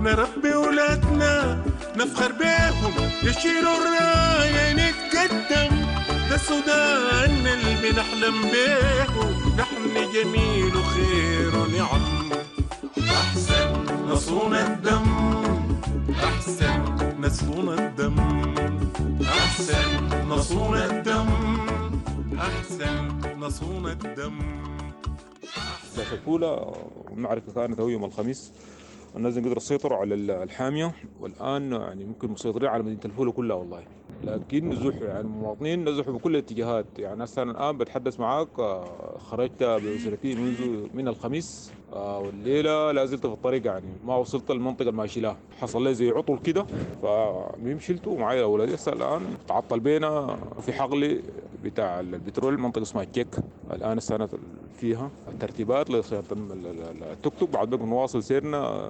نربي ولادنا نفخر بيهم، يشيلوا الراية نتقدم، ده سودان اللي بنحلم بيه، نحن جميل وخير ونعم. أحسن نصون الدم، أحسن نصون الدم، أحسن نصون الدم، أحسن نصون الدم. الفولة المعركة كانت هو يوم الخميس، الناس قدروا يسيطروا على الحامية، والآن يعني ممكن مسيطرين على مدينة الفولة كلها والله. لكن نزوح يعني المواطنين نزحوا بكل الاتجاهات. يعني هسه أنا الآن بتحدث معاك، خرجت بأسرتي منذ من الخميس، والليلة لا زلت في الطريق، يعني ما وصلت المنطقة الماشي لها، حصل لي زي عطل كده، فالمهم شلته ومعايا أولادي. هسه الآن تعطل بينا في حقل بتاع البترول، منطقة اسمها تشيك، الآن السنة فيها ترتيبات لصيانة التوك توك، بعد ذلك نواصل سيرنا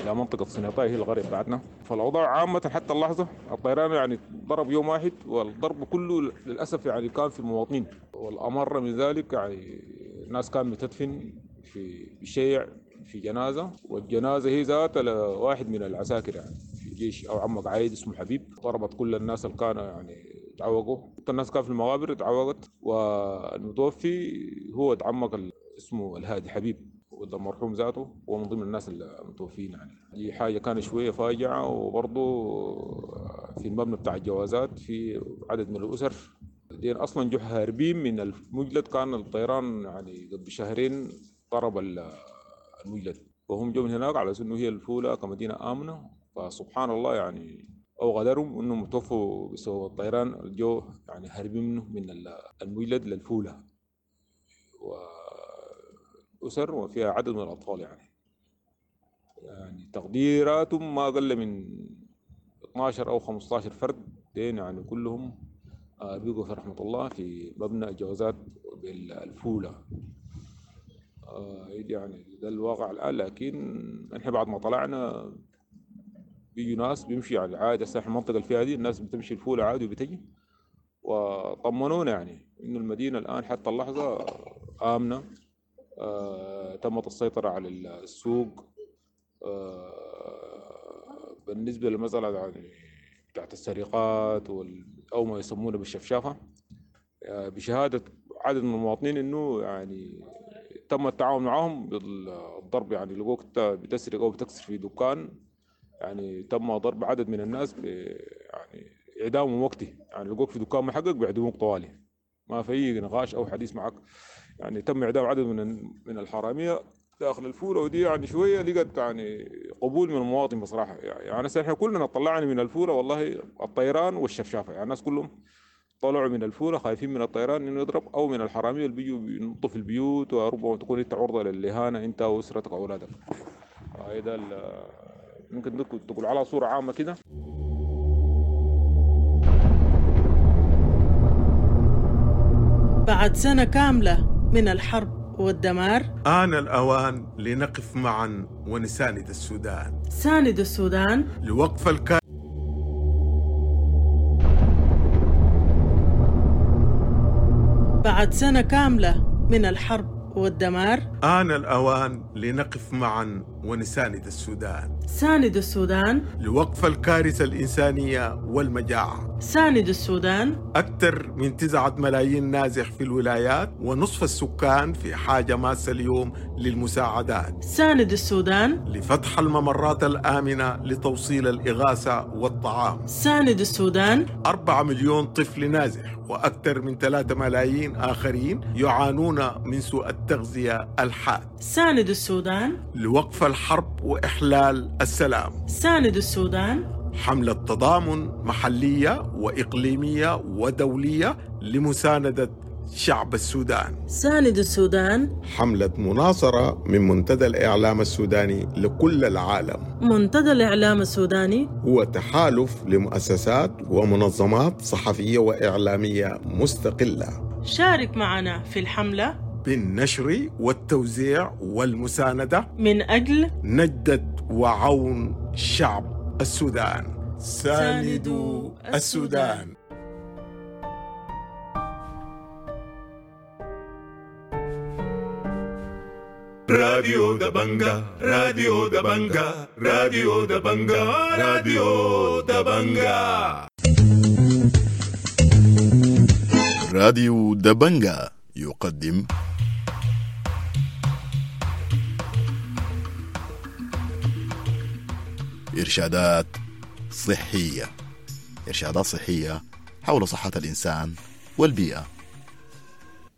إلى منطقة سنيطاي هي القرية بتاعتنا. فالأوضاع عامة حتى اللحظة الطيران يعني ضرب يوم واحد، والضرب كله للأسف يعني كان في المواطنين، والأمر من ذلك يعني الناس كانت بتدفن في شيع في جنازة، والجنازة هي ذات واحد من العساكر يعني في الجيش أو عمك عايد اسمه حبيب، ضربت كل الناس اللي كانوا يعني تعوقوا، الناس كان في المقابر تعوقت، والمتوفي هو عمك اسمه الهادي حبيب، وده المرحوم ذاته هو من ضمن الناس المتوفين. يعني دي حاجة كانت شوية فاجعة. وبرضه في المبنى بتاع الجوازات في عدد من الأسر دين أصلا جو هاربين من المجلد، كان الطيران يعني قبل شهرين ضرب المجلد، وهم جو من هناك على أنه هي الفولة كمدينة آمنة، فسبحان الله يعني أو غدرهم أنهم توفوا بسبب الطيران، الجو يعني هاربين منه من المجلد للفولة، وأسر وفيها عدد من الأطفال، يعني تقديراتهم ما أقل من 12 أو 15 فرد دين يعني كلهم بيقوا في رحمة الله في مبنى الجوازات بالفولة. يعني ده الواقع الآن. لكن نحن بعد ما طلعنا بيجوا ناس بيمشي على العادة، هسه المنطقة اللي فيها دي الناس بتمشي الفولة عادي وبتجي، وطمنونا يعني إنه المدينة الآن حتى اللحظة آمنة، تمت السيطرة على السوق. بالنسبة للمسألة يعني بتاعت السرقات أو ما يسمونه بالشفشافة، بشهادة عدد من المواطنين إنه يعني تم التعاون معهم بالضرب، يعني لقوك بتسرق أو بتكسر في دكان، يعني تم ضرب عدد من الناس يعني إعدامهم وقتي، يعني لقوك في دكان محقق بيعدموك طوالي، ما في نقاش أو حديث معك. يعني تم إعدام عدد من الحرامية داخل الفولة، ودي يعني شوية لقت يعني قبول من المواطن بصراحة. يعني احنا كلنا طلعنا من الفولة والله الطيران والشفشافة، يعني الناس كلهم طلعوا من الفولة خايفين من الطيران انه يضرب او من الحرامية اللي بيجوا بينطوا في البيوت، وربما تكون انت عرضة للإهانة انت واسرتك واولادك. هذا ممكن تقول على صورة عامة كده. بعد سنة كاملة من الحرب والدمار، آن الأوان لنقف معا ونساند السودان. ساند السودان لوقف بعد سنة كاملة من الحرب والدمار، آن الأوان لنقف معا ونساند السودان. ساند السودان لوقف الكارثة الإنسانية والمجاعة. ساند السودان. أكثر من 9 ملايين نازح في الولايات، ونصف السكان في حاجة ماسة اليوم للمساعدات. ساند السودان لفتح الممرات الآمنة لتوصيل الإغاثة والطعام. ساند السودان. 4 مليون طفل نازح وأكثر من 3 ملايين آخرين يعانون من سوء التغذية الحاد. ساند السودان لوقف الحرب وإحلال السلام. ساند السودان. حملة تضامن محلية وإقليمية ودولية لمساندة شعب السودان. ساند السودان. حملة مناصرة من منتدى الإعلام السوداني لكل العالم. منتدى الإعلام السوداني هو تحالف لمؤسسات ومنظمات صحفية وإعلامية مستقلة. شارك معنا في الحملة بالنشر والتوزيع والمساندة من أجل نجدة وعون شعب السودان. ساندوا السودان. راديو دبنجا، راديو دبنجا، راديو دبنجا، راديو دبنجا. راديو دبنجا يقدم إرشادات صحية. إرشادات صحية حول صحة الإنسان والبيئة.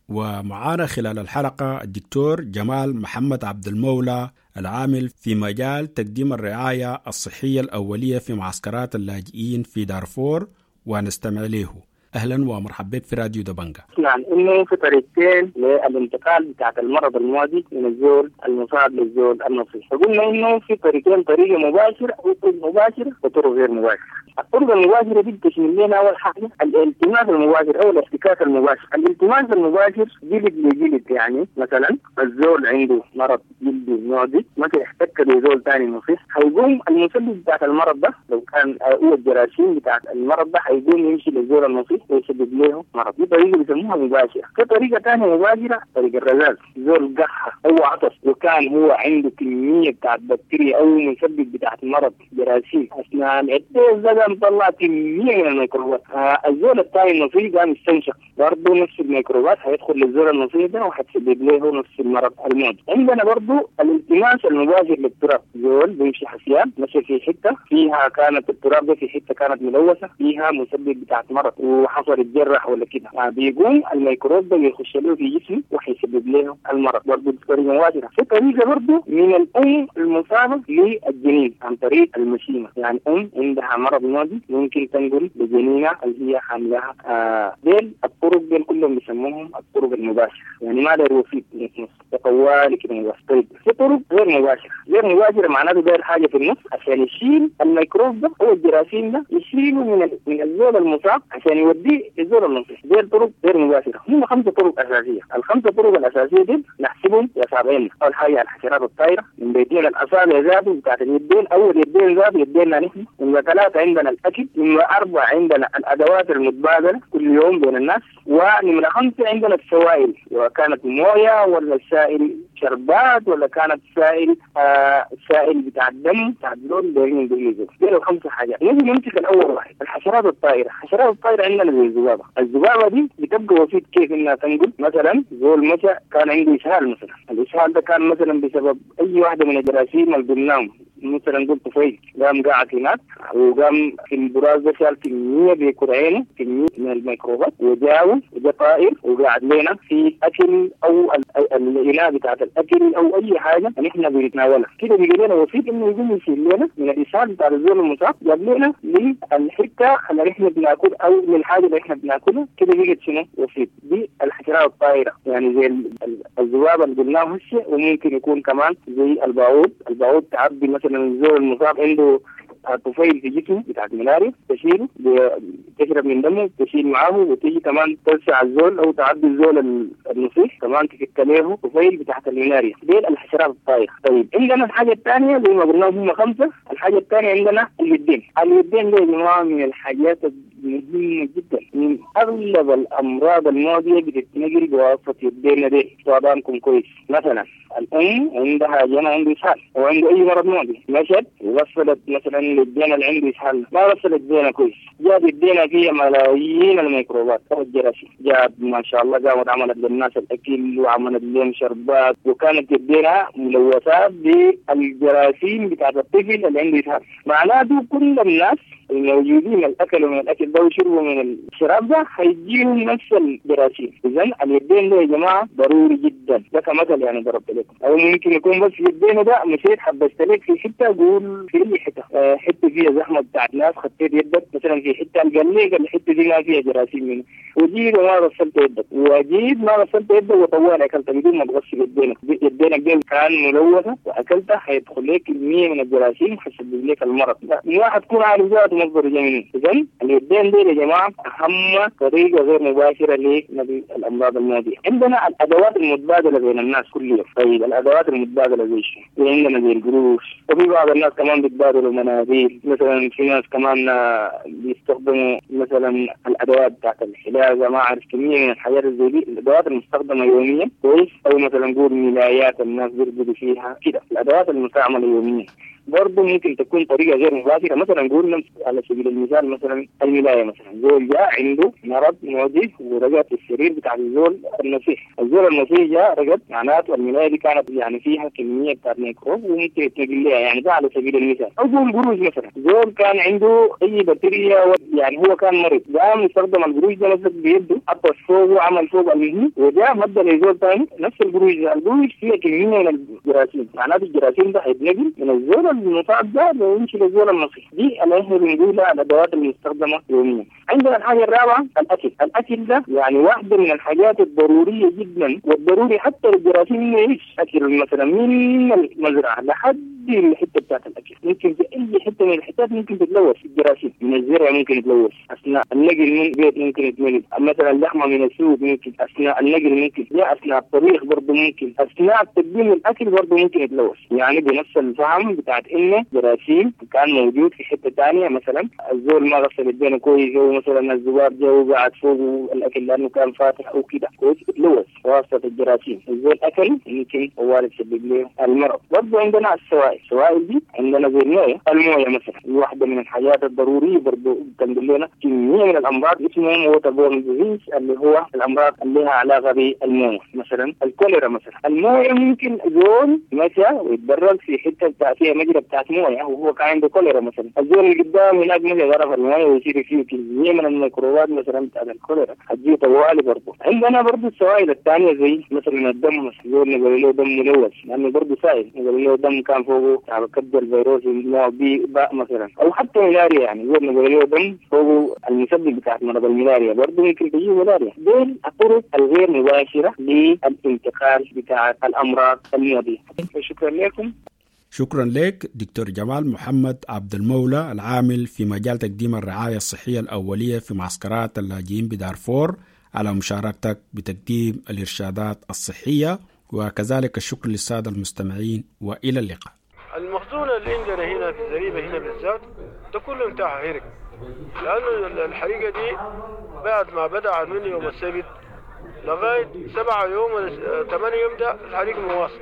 ومعانا خلال الحلقة الدكتور جمال محمد عبد المولى، العامل في مجال تقديم الرعاية الصحية الأولية في معسكرات اللاجئين في دارفور، ونستمع له. أهلا ومرحبا بك في راديو دبنجا. نعم، إنه في طريقتين للانتقال بتاعت المرض المعدي من الزول المصاب للزول النصيح. فقلنا إنه في طريقتين، طريقة مباشرة أو طرق مباشرة وطرق غير مباشرة. الطرق المباشرة دي بتشمل لنا أول حاجة الالتماس المباشر أو الاحتكاك المباشر. الالتماس المباشر جلد لجلد، يعني مثلا الزول عنده مرض جلدي معدي مثلا احتك بزول ثاني نصيح، هيقوم المسبب بتاعت المرض ده لو كان هو الجراثيم بتاعت المرض ده هيقوم يمشي للزول النصيح ويسبب له مرض. دي طريقة بيسموها مباشرة. في طريقة ثانية مباشرة، طريقة الرذاذ. زول قحة أو عطس وكان هو عنده كمية بتاعت بكتيريا أو مسبب بتاعت مرض جراثيم أثناء العطس ده مطلع كمية من الميكروبات. الزول الثاني النصيح قام يستنشق برضه نفس الميكروبات، هيدخل للزول النصيح ده وهتسبب له نفس المرض المعدي. عندنا برضه الالتماس المباشر للتراب. زول بيمشي حسيان مشى في حتة فيها كانت التراب ده في حتة كانت ملوثة فيها مسبب بتاعت مرض وحصل اتجرح ولا كده، بيقوم الميكروب ده يخش له في جسمه وحيسبب له المرض برضه بطريقة مباشرة. في طريقة برضه من الأم المصابة للجنين عن طريق المشيمة، يعني أم عندها مرض معدي ممكن تنقل لجنينة اللي هي حاملها. ديل الطرق ديل كلهم بيسموهم الطرق المباشرة، يعني ما داير وسيط في النص، طوالي كده مباشر. طيب في طرق غير مباشرة. غير مباشرة معناته داير حاجة في النص عشان يشيل الميكروب ده أو الجراثيم ده، يشيله من الزول المصاب عشان يوديه للزول النصيح. دي طرق غير مباشرة. هم 5 طرق أساسية. ال5 طرق الأساسية دي نحسبهم بأصابعنا. أول حاجة الحشرات الطائرة من بيتين الأصابع ذاته بتاعت اليدين، أول يدين ذاته يدينا نحن. نمرة 3 عندنا الأكل، نمرة 4 عندنا الأدوات المتبادلة كل يوم بين الناس، ونمرة 5 عندنا السوائل، وكانت موية ولا سائل شربات ولا كانت سائل سائل بتاع الدم بتاع الزول دايرين بيجوا. دي 5 حاجات. نيجي نمسك الأول واحد، الحشرات الطائرة. الحشرات الطائرة عندنا زي الذبابة. الذبابة دي بتبقى وسيط كيف إنها تنقل. مثلا زول مشى كان عنده إسهال مثلا، الإسهال ده كان مثلا بسبب أي واحدة من الجراثيم اللي قلناهم، مثلا قلت طفيل قام قاعد هناك وقام في البراز ده شال كمية بكرعينه كمية من الميكروبات وجاوز وجا طائر وقاعد لنا في أكل أو الإناء بتاعت الأكل أو أي حاجة نحن بنتناولها كده، بيجي لنا وسيط إنه يقوم يشيل لنا من الإسهال بتاع الزول المصاب جاب لنا للحتة اللي نحن بناكل أو للحاجة اللي نحن بناكلها كده، بيجي شنو وسيط. دي الحشرات الطائرة، يعني زي الذبابة اللي قلناه هسه، وممكن يكون كمان زي الباعوض. الباعوض تعبي مثلا الزول المصاب عنده طفيل في جسمه بتاع الملاريا، تشيله تشرب من دمه تشيل معاه، وتيجي كمان تلسع الزول او تعدي الزول النصيح كمان تفك له طفيل بتاعت الملاريا. دي الحشرات الطائرة. طيب عندنا الحاجة الثانية زي ما قلنا هم 5. الحاجة الثانية عندنا اليدين. اليدين دي يا جماعة من الحاجات مهمة جدا. من اغلب الامراض المعدية بتتنقل بواسطة يدينا دي. وأضانكم كويس. مثلا الام عندها جنى عنده اسهال او عنده اي مرض معدي، مشت وغسلت مثلا للجنى اللي عنده اسهال، ما غسلت يدينا كويس، جاب يدينا فيها ملايين الميكروبات او الجراثيم، جاب ما شاء الله قامت عملت للناس الاكل وعملت لهم شربات، وكانت يدينا ملوثات بالجراثيم بتاعت الطفل اللي عنده اسهال. معناته كل الناس الموجودين اللي اكلوا من الاكل ده وشربوا من الشراب ده هيجيهم نفس الجراثيم. اذا اليدين ده يا جماعة ضروري جدا، ده كمثل يعني ضربت لكم، او ممكن يكون بس يدينا ده مشيت حبست لك في حتة، قول في اي حتة، حتة فيها زحمة بتاعت ناس، خطيت يدك مثلا في حتة قال لك الحتة دي ما فيها جراثيم منه، وجيت وما غسلت يدك، وجيت ما غسلت يدك وطوال اكلت بدون ما تغسل يدينك، يدينك دي كان ملوثة واكلتها هيدخل لك كمية من الجراثيم حتسبب لك المرض. ما حتكون عارف ذاته مصدر جاي. اذا اليدين دي يا جماعة اهم طريقه غير مباشرة لنقل الامراض المعدية. عندنا الادوات المتبادلة بين الناس كل يوم. طيب الادوات المتبادلة زي شنو؟ عندنا زي القروش، وفي بعض الناس كمان بيتبادلوا مناديل، مثلا في ناس كمان بيستخدموا مثلا الادوات بتاعت الحلاقة، ما اعرف كمية من الحاجات زي دي، الادوات المستخدمة يوميا كويس، او مثلا نقول ملايات الناس بيرقدوا فيها كده، الادوات المستعملة يوميا برضه ممكن تكون طريقة غير مباشرة. مثلا نقول على سبيل المثال مثلا الملاية، مثلا زول جاء عنده مرض معدي ورقد في السرير بتاع الزول النصيح، الزول النصيح جاء رقد، معناته الملاية دي كانت يعني فيها كمية بتاعت ميكروب وممكن يتنقل لها، يعني ده على سبيل المثال. أو قول قروش مثلا، زول كان عنده أي بكتيريا يعني هو كان مريض، قام استخدم القروش ده نفسه بيده، حط فوقه وعمل فوق المهم، وجاء مدى لزول ثاني نفس القروش ده، القروش فيها كمية من الجراثيم، معناته الجراثيم ده هيتنقل من الزول المصاب ده ويمشي للزول النصيح. دي اللي احنا بنقولها الادوات المستخدمة يوميا. عندنا الحاجة الرابعة الاكل، الاكل ده يعني واحدة من الحاجات الضرورية جدا، والضروري حتى للجراثيم انه يعيش. اكل مثلا من المزرعة لحد الحتة بتاعت الاكل، ممكن في اي حتة من الحتات ممكن تتلوث الجراثيم، من الزرع ممكن يتلوث، اثناء النقل من البيت ممكن يتنقل، مثلا اللحمة من السوق ممكن، اثناء النقل ممكن، يا اثناء الطبيخ برضه ممكن، اثناء تقديم الاكل برضه ممكن يتلوث. يعني بنفس الفهم بتاعت انه جراثيم كان موجود في حتة ثانية، مثلا الزول ما غسل يدينه كويس، او مثلا الذباب جا وقعد فوقه الاكل لانه كان فاتح او كده كويس، اتلوث بواسطة الجراثيم، الزول اكل ممكن هو يسبب له المرض. برضه عندنا السوائل، السوائل دي عندنا زي المويه، المويه مثلا واحدة من الحاجات الضرورية برضه بتنقل لنا كمية من الامراض اسمهم water borne disease، اللي هو الامراض اللي لها علاقة بالمويه، مثلا الكوليرا مثلا. المويه ممكن زول مشى ويتبرد في حتة بتاع فيها مجرى بتاعت مويه وهو كان عنده كوليرا مثلا، الزول اللي قدام هناك مشى غرف المويه ويصير فيه كمية من الميكروبات مثلا بتاعت الكوليرا هتجي طوالي. برضه عندنا برضه السوائل الثانية زي مثلا الدم، مثلا زول نقول له دم ملوث لانه برضه سائل، نقول له دم كان فوقه على كبد الفيروس نوع بي باء مثلا، او حتى ملاريا، يعني زول نقول له دم فوقه المسبب بتاع مرض الملاريا برضه ممكن تجي ملاريا. دول الطرق الغير مباشرة للانتقال بتاع الامراض المعدية. شكرا لكم. شكرا لك دكتور جمال محمد عبد المولى، العامل في مجال تقديم الرعاية الصحية الأولية في معسكرات اللاجئين بدارفور، على مشاركتك بتقديم الإرشادات الصحية، وكذلك الشكر للسادة المستمعين، وإلى اللقاء. المخزون اللي عندنا هنا في الزريبة هنا بالذات ده كله انتهى هرق، لأنه الحريقة دي بعد ما بدأت من يوم السبت لغاية 7 يوم ولا 8 يوم ده الحريق مواصل.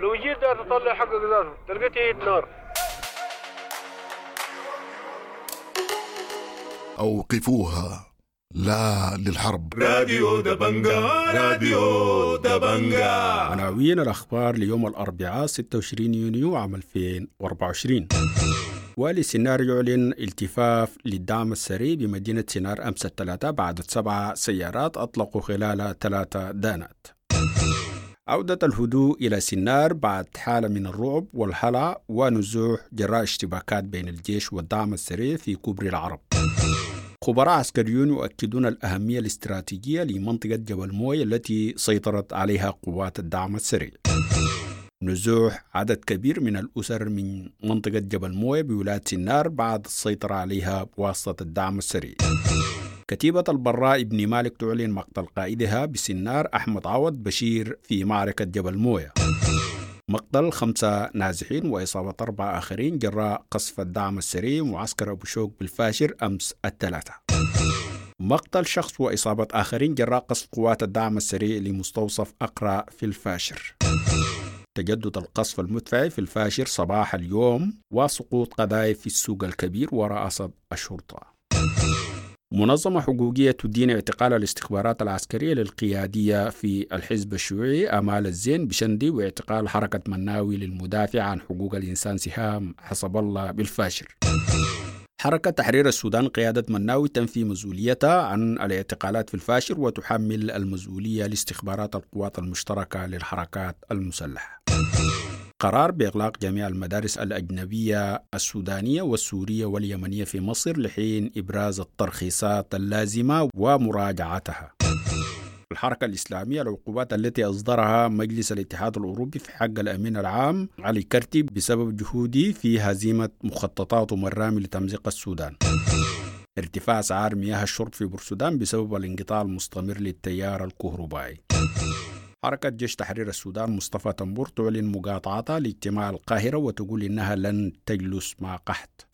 لو جيت ده تطلع حقك ذاته تلقى تهيت نار. أوقفوها، لا للحرب. راديو دبنجا، راديو دبنجا. عناوين الأخبار ليوم الأربعاء 26 يونيو عام 2024. والي سنار يعلن التفاف للدعم السري بمدينة سنار أمس الثلاثاء بعد 7 سيارات أطلقوا خلال 3 دانات. عودة الهدوء إلى سنار بعد حالة من الرعب والهلع ونزوح جراء اشتباكات بين الجيش والدعم السري في كوبري العرب. خبراء عسكريون يؤكدون الأهمية الاستراتيجية لمنطقة جبل موي التي سيطرت عليها قوات الدعم السري. نزوح عدد كبير من الأسر من منطقة جبل موي بولاية سنار بعد السيطرة عليها بواسطة الدعم السري. كتيبة البراء ابن مالك تعلن مقتل قائدها بسنار أحمد عوض بشير في معركة جبل موية. مقتل 5 نازحين وإصابة 4 آخرين جراء قصف الدعم السريع معسكر أبو شوك بالفاشر أمس الثلاثاء. مقتل شخص وإصابة آخرين جراء قصف قوات الدعم السريع لمستوصف أقرأ في الفاشر. تجدد القصف المدفعي في الفاشر صباح اليوم وسقوط قذائف في السوق الكبير ورئاسة الشرطة. منظمة حقوقية تدين اعتقال الاستخبارات العسكرية للقيادية في الحزب الشيوعي آمال الزين بشندي واعتقال حركة مناوي للمدافع عن حقوق الإنسان سهام حسب الله بالفاشر. حركة تحرير السودان قيادة مناوي تنفي مسؤوليتها عن الاعتقالات في الفاشر وتحمل المسؤولية لاستخبارات القوات المشتركة للحركات المسلحة. قرار بإغلاق جميع المدارس الأجنبية السودانية والسورية واليمنية في مصر لحين إبراز الترخيصات اللازمة ومراجعتها. الحركة الإسلامية العقوبات التي أصدرها مجلس الاتحاد الأوروبي في حق الأمين العام علي كرتي بسبب جهوده في هزيمة مخططاته الرامي لتمزيق السودان. ارتفاع أسعار مياه الشرب في بورسودان بسبب الانقطاع المستمر للتيار الكهربائي. حركة جيش تحرير السودان مصطفى تنبور تعلن مقاطعتها لاجتماع القاهرة وتقول إنها لن تجلس مع قحط.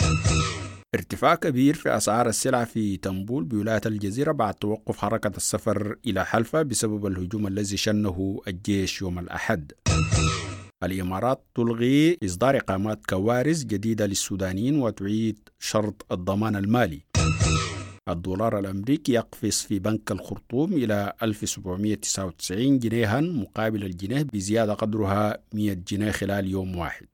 ارتفاع كبير في أسعار السلع في تنبول بولاية الجزيرة بعد توقف حركة السفر إلى حلفة بسبب الهجوم الذي شنه الجيش يوم الأحد. الإمارات تلغي إصدار إقامات كوارث جديدة للسودانيين وتعيد شرط الضمان المالي. الدولار الأمريكي يقفز في بنك الخرطوم إلى 1799 جنيها مقابل الجنيه بزيادة قدرها 100 جنيه خلال يوم واحد.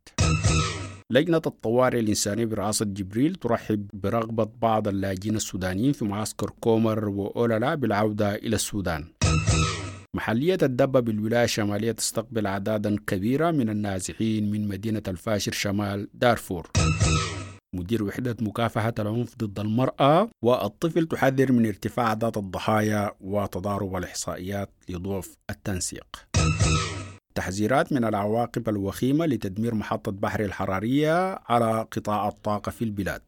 لجنة الطوارئ الإنسانية برئاسة جبريل ترحب برغبة بعض اللاجئين السودانيين في معسكر كومر وأولالا بالعودة إلى السودان. محلية الدبة بالولاية الشمالية تستقبل أعدادا كبيرة من النازحين من مدينة الفاشر شمال دارفور. مدير وحدة مكافحة العنف ضد المرأة والطفل تحذر من ارتفاع أعداد الضحايا وتضارب الإحصائيات لضعف التنسيق. تحذيرات من العواقب الوخيمة لتدمير محطة بحر الحرارية على قطاع الطاقة في البلاد.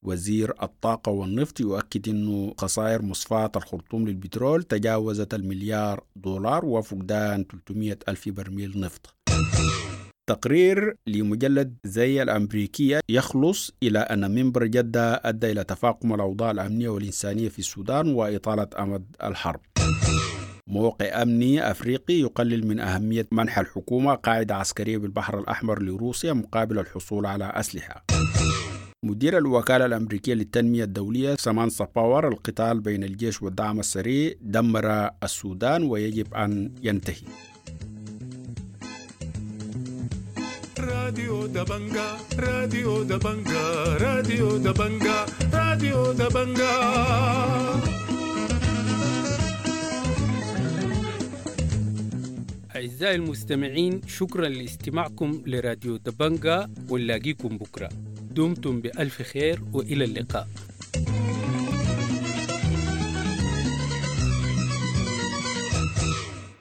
وزير الطاقة والنفط يؤكد أن خسائر مصفاة الخرطوم للبترول تجاوزت $1 مليار وفقدان 300 ألف برميل نفط. تقرير لمجلة زي الأمريكية يخلص إلى أن منبر جدة أدى إلى تفاقم الأوضاع الأمنية والإنسانية في السودان وإطالة أمد الحرب. موقع أمني أفريقي يقلل من أهمية منح الحكومة قاعدة عسكرية بالبحر الأحمر لروسيا مقابل الحصول على أسلحة. مدير الوكالة الأمريكية للتنمية الدولية سامانثا باور: القتال بين الجيش والدعم السريع دمر السودان ويجب أن ينتهي. راديو دبنجا، راديو دبنجا، راديو دبنجا، راديو دبنجا. أعزائي المستمعين، شكرا لاستماعكم لراديو دبنجا، ونلاقيكم بكرة. دمتم بألف خير وإلى اللقاء.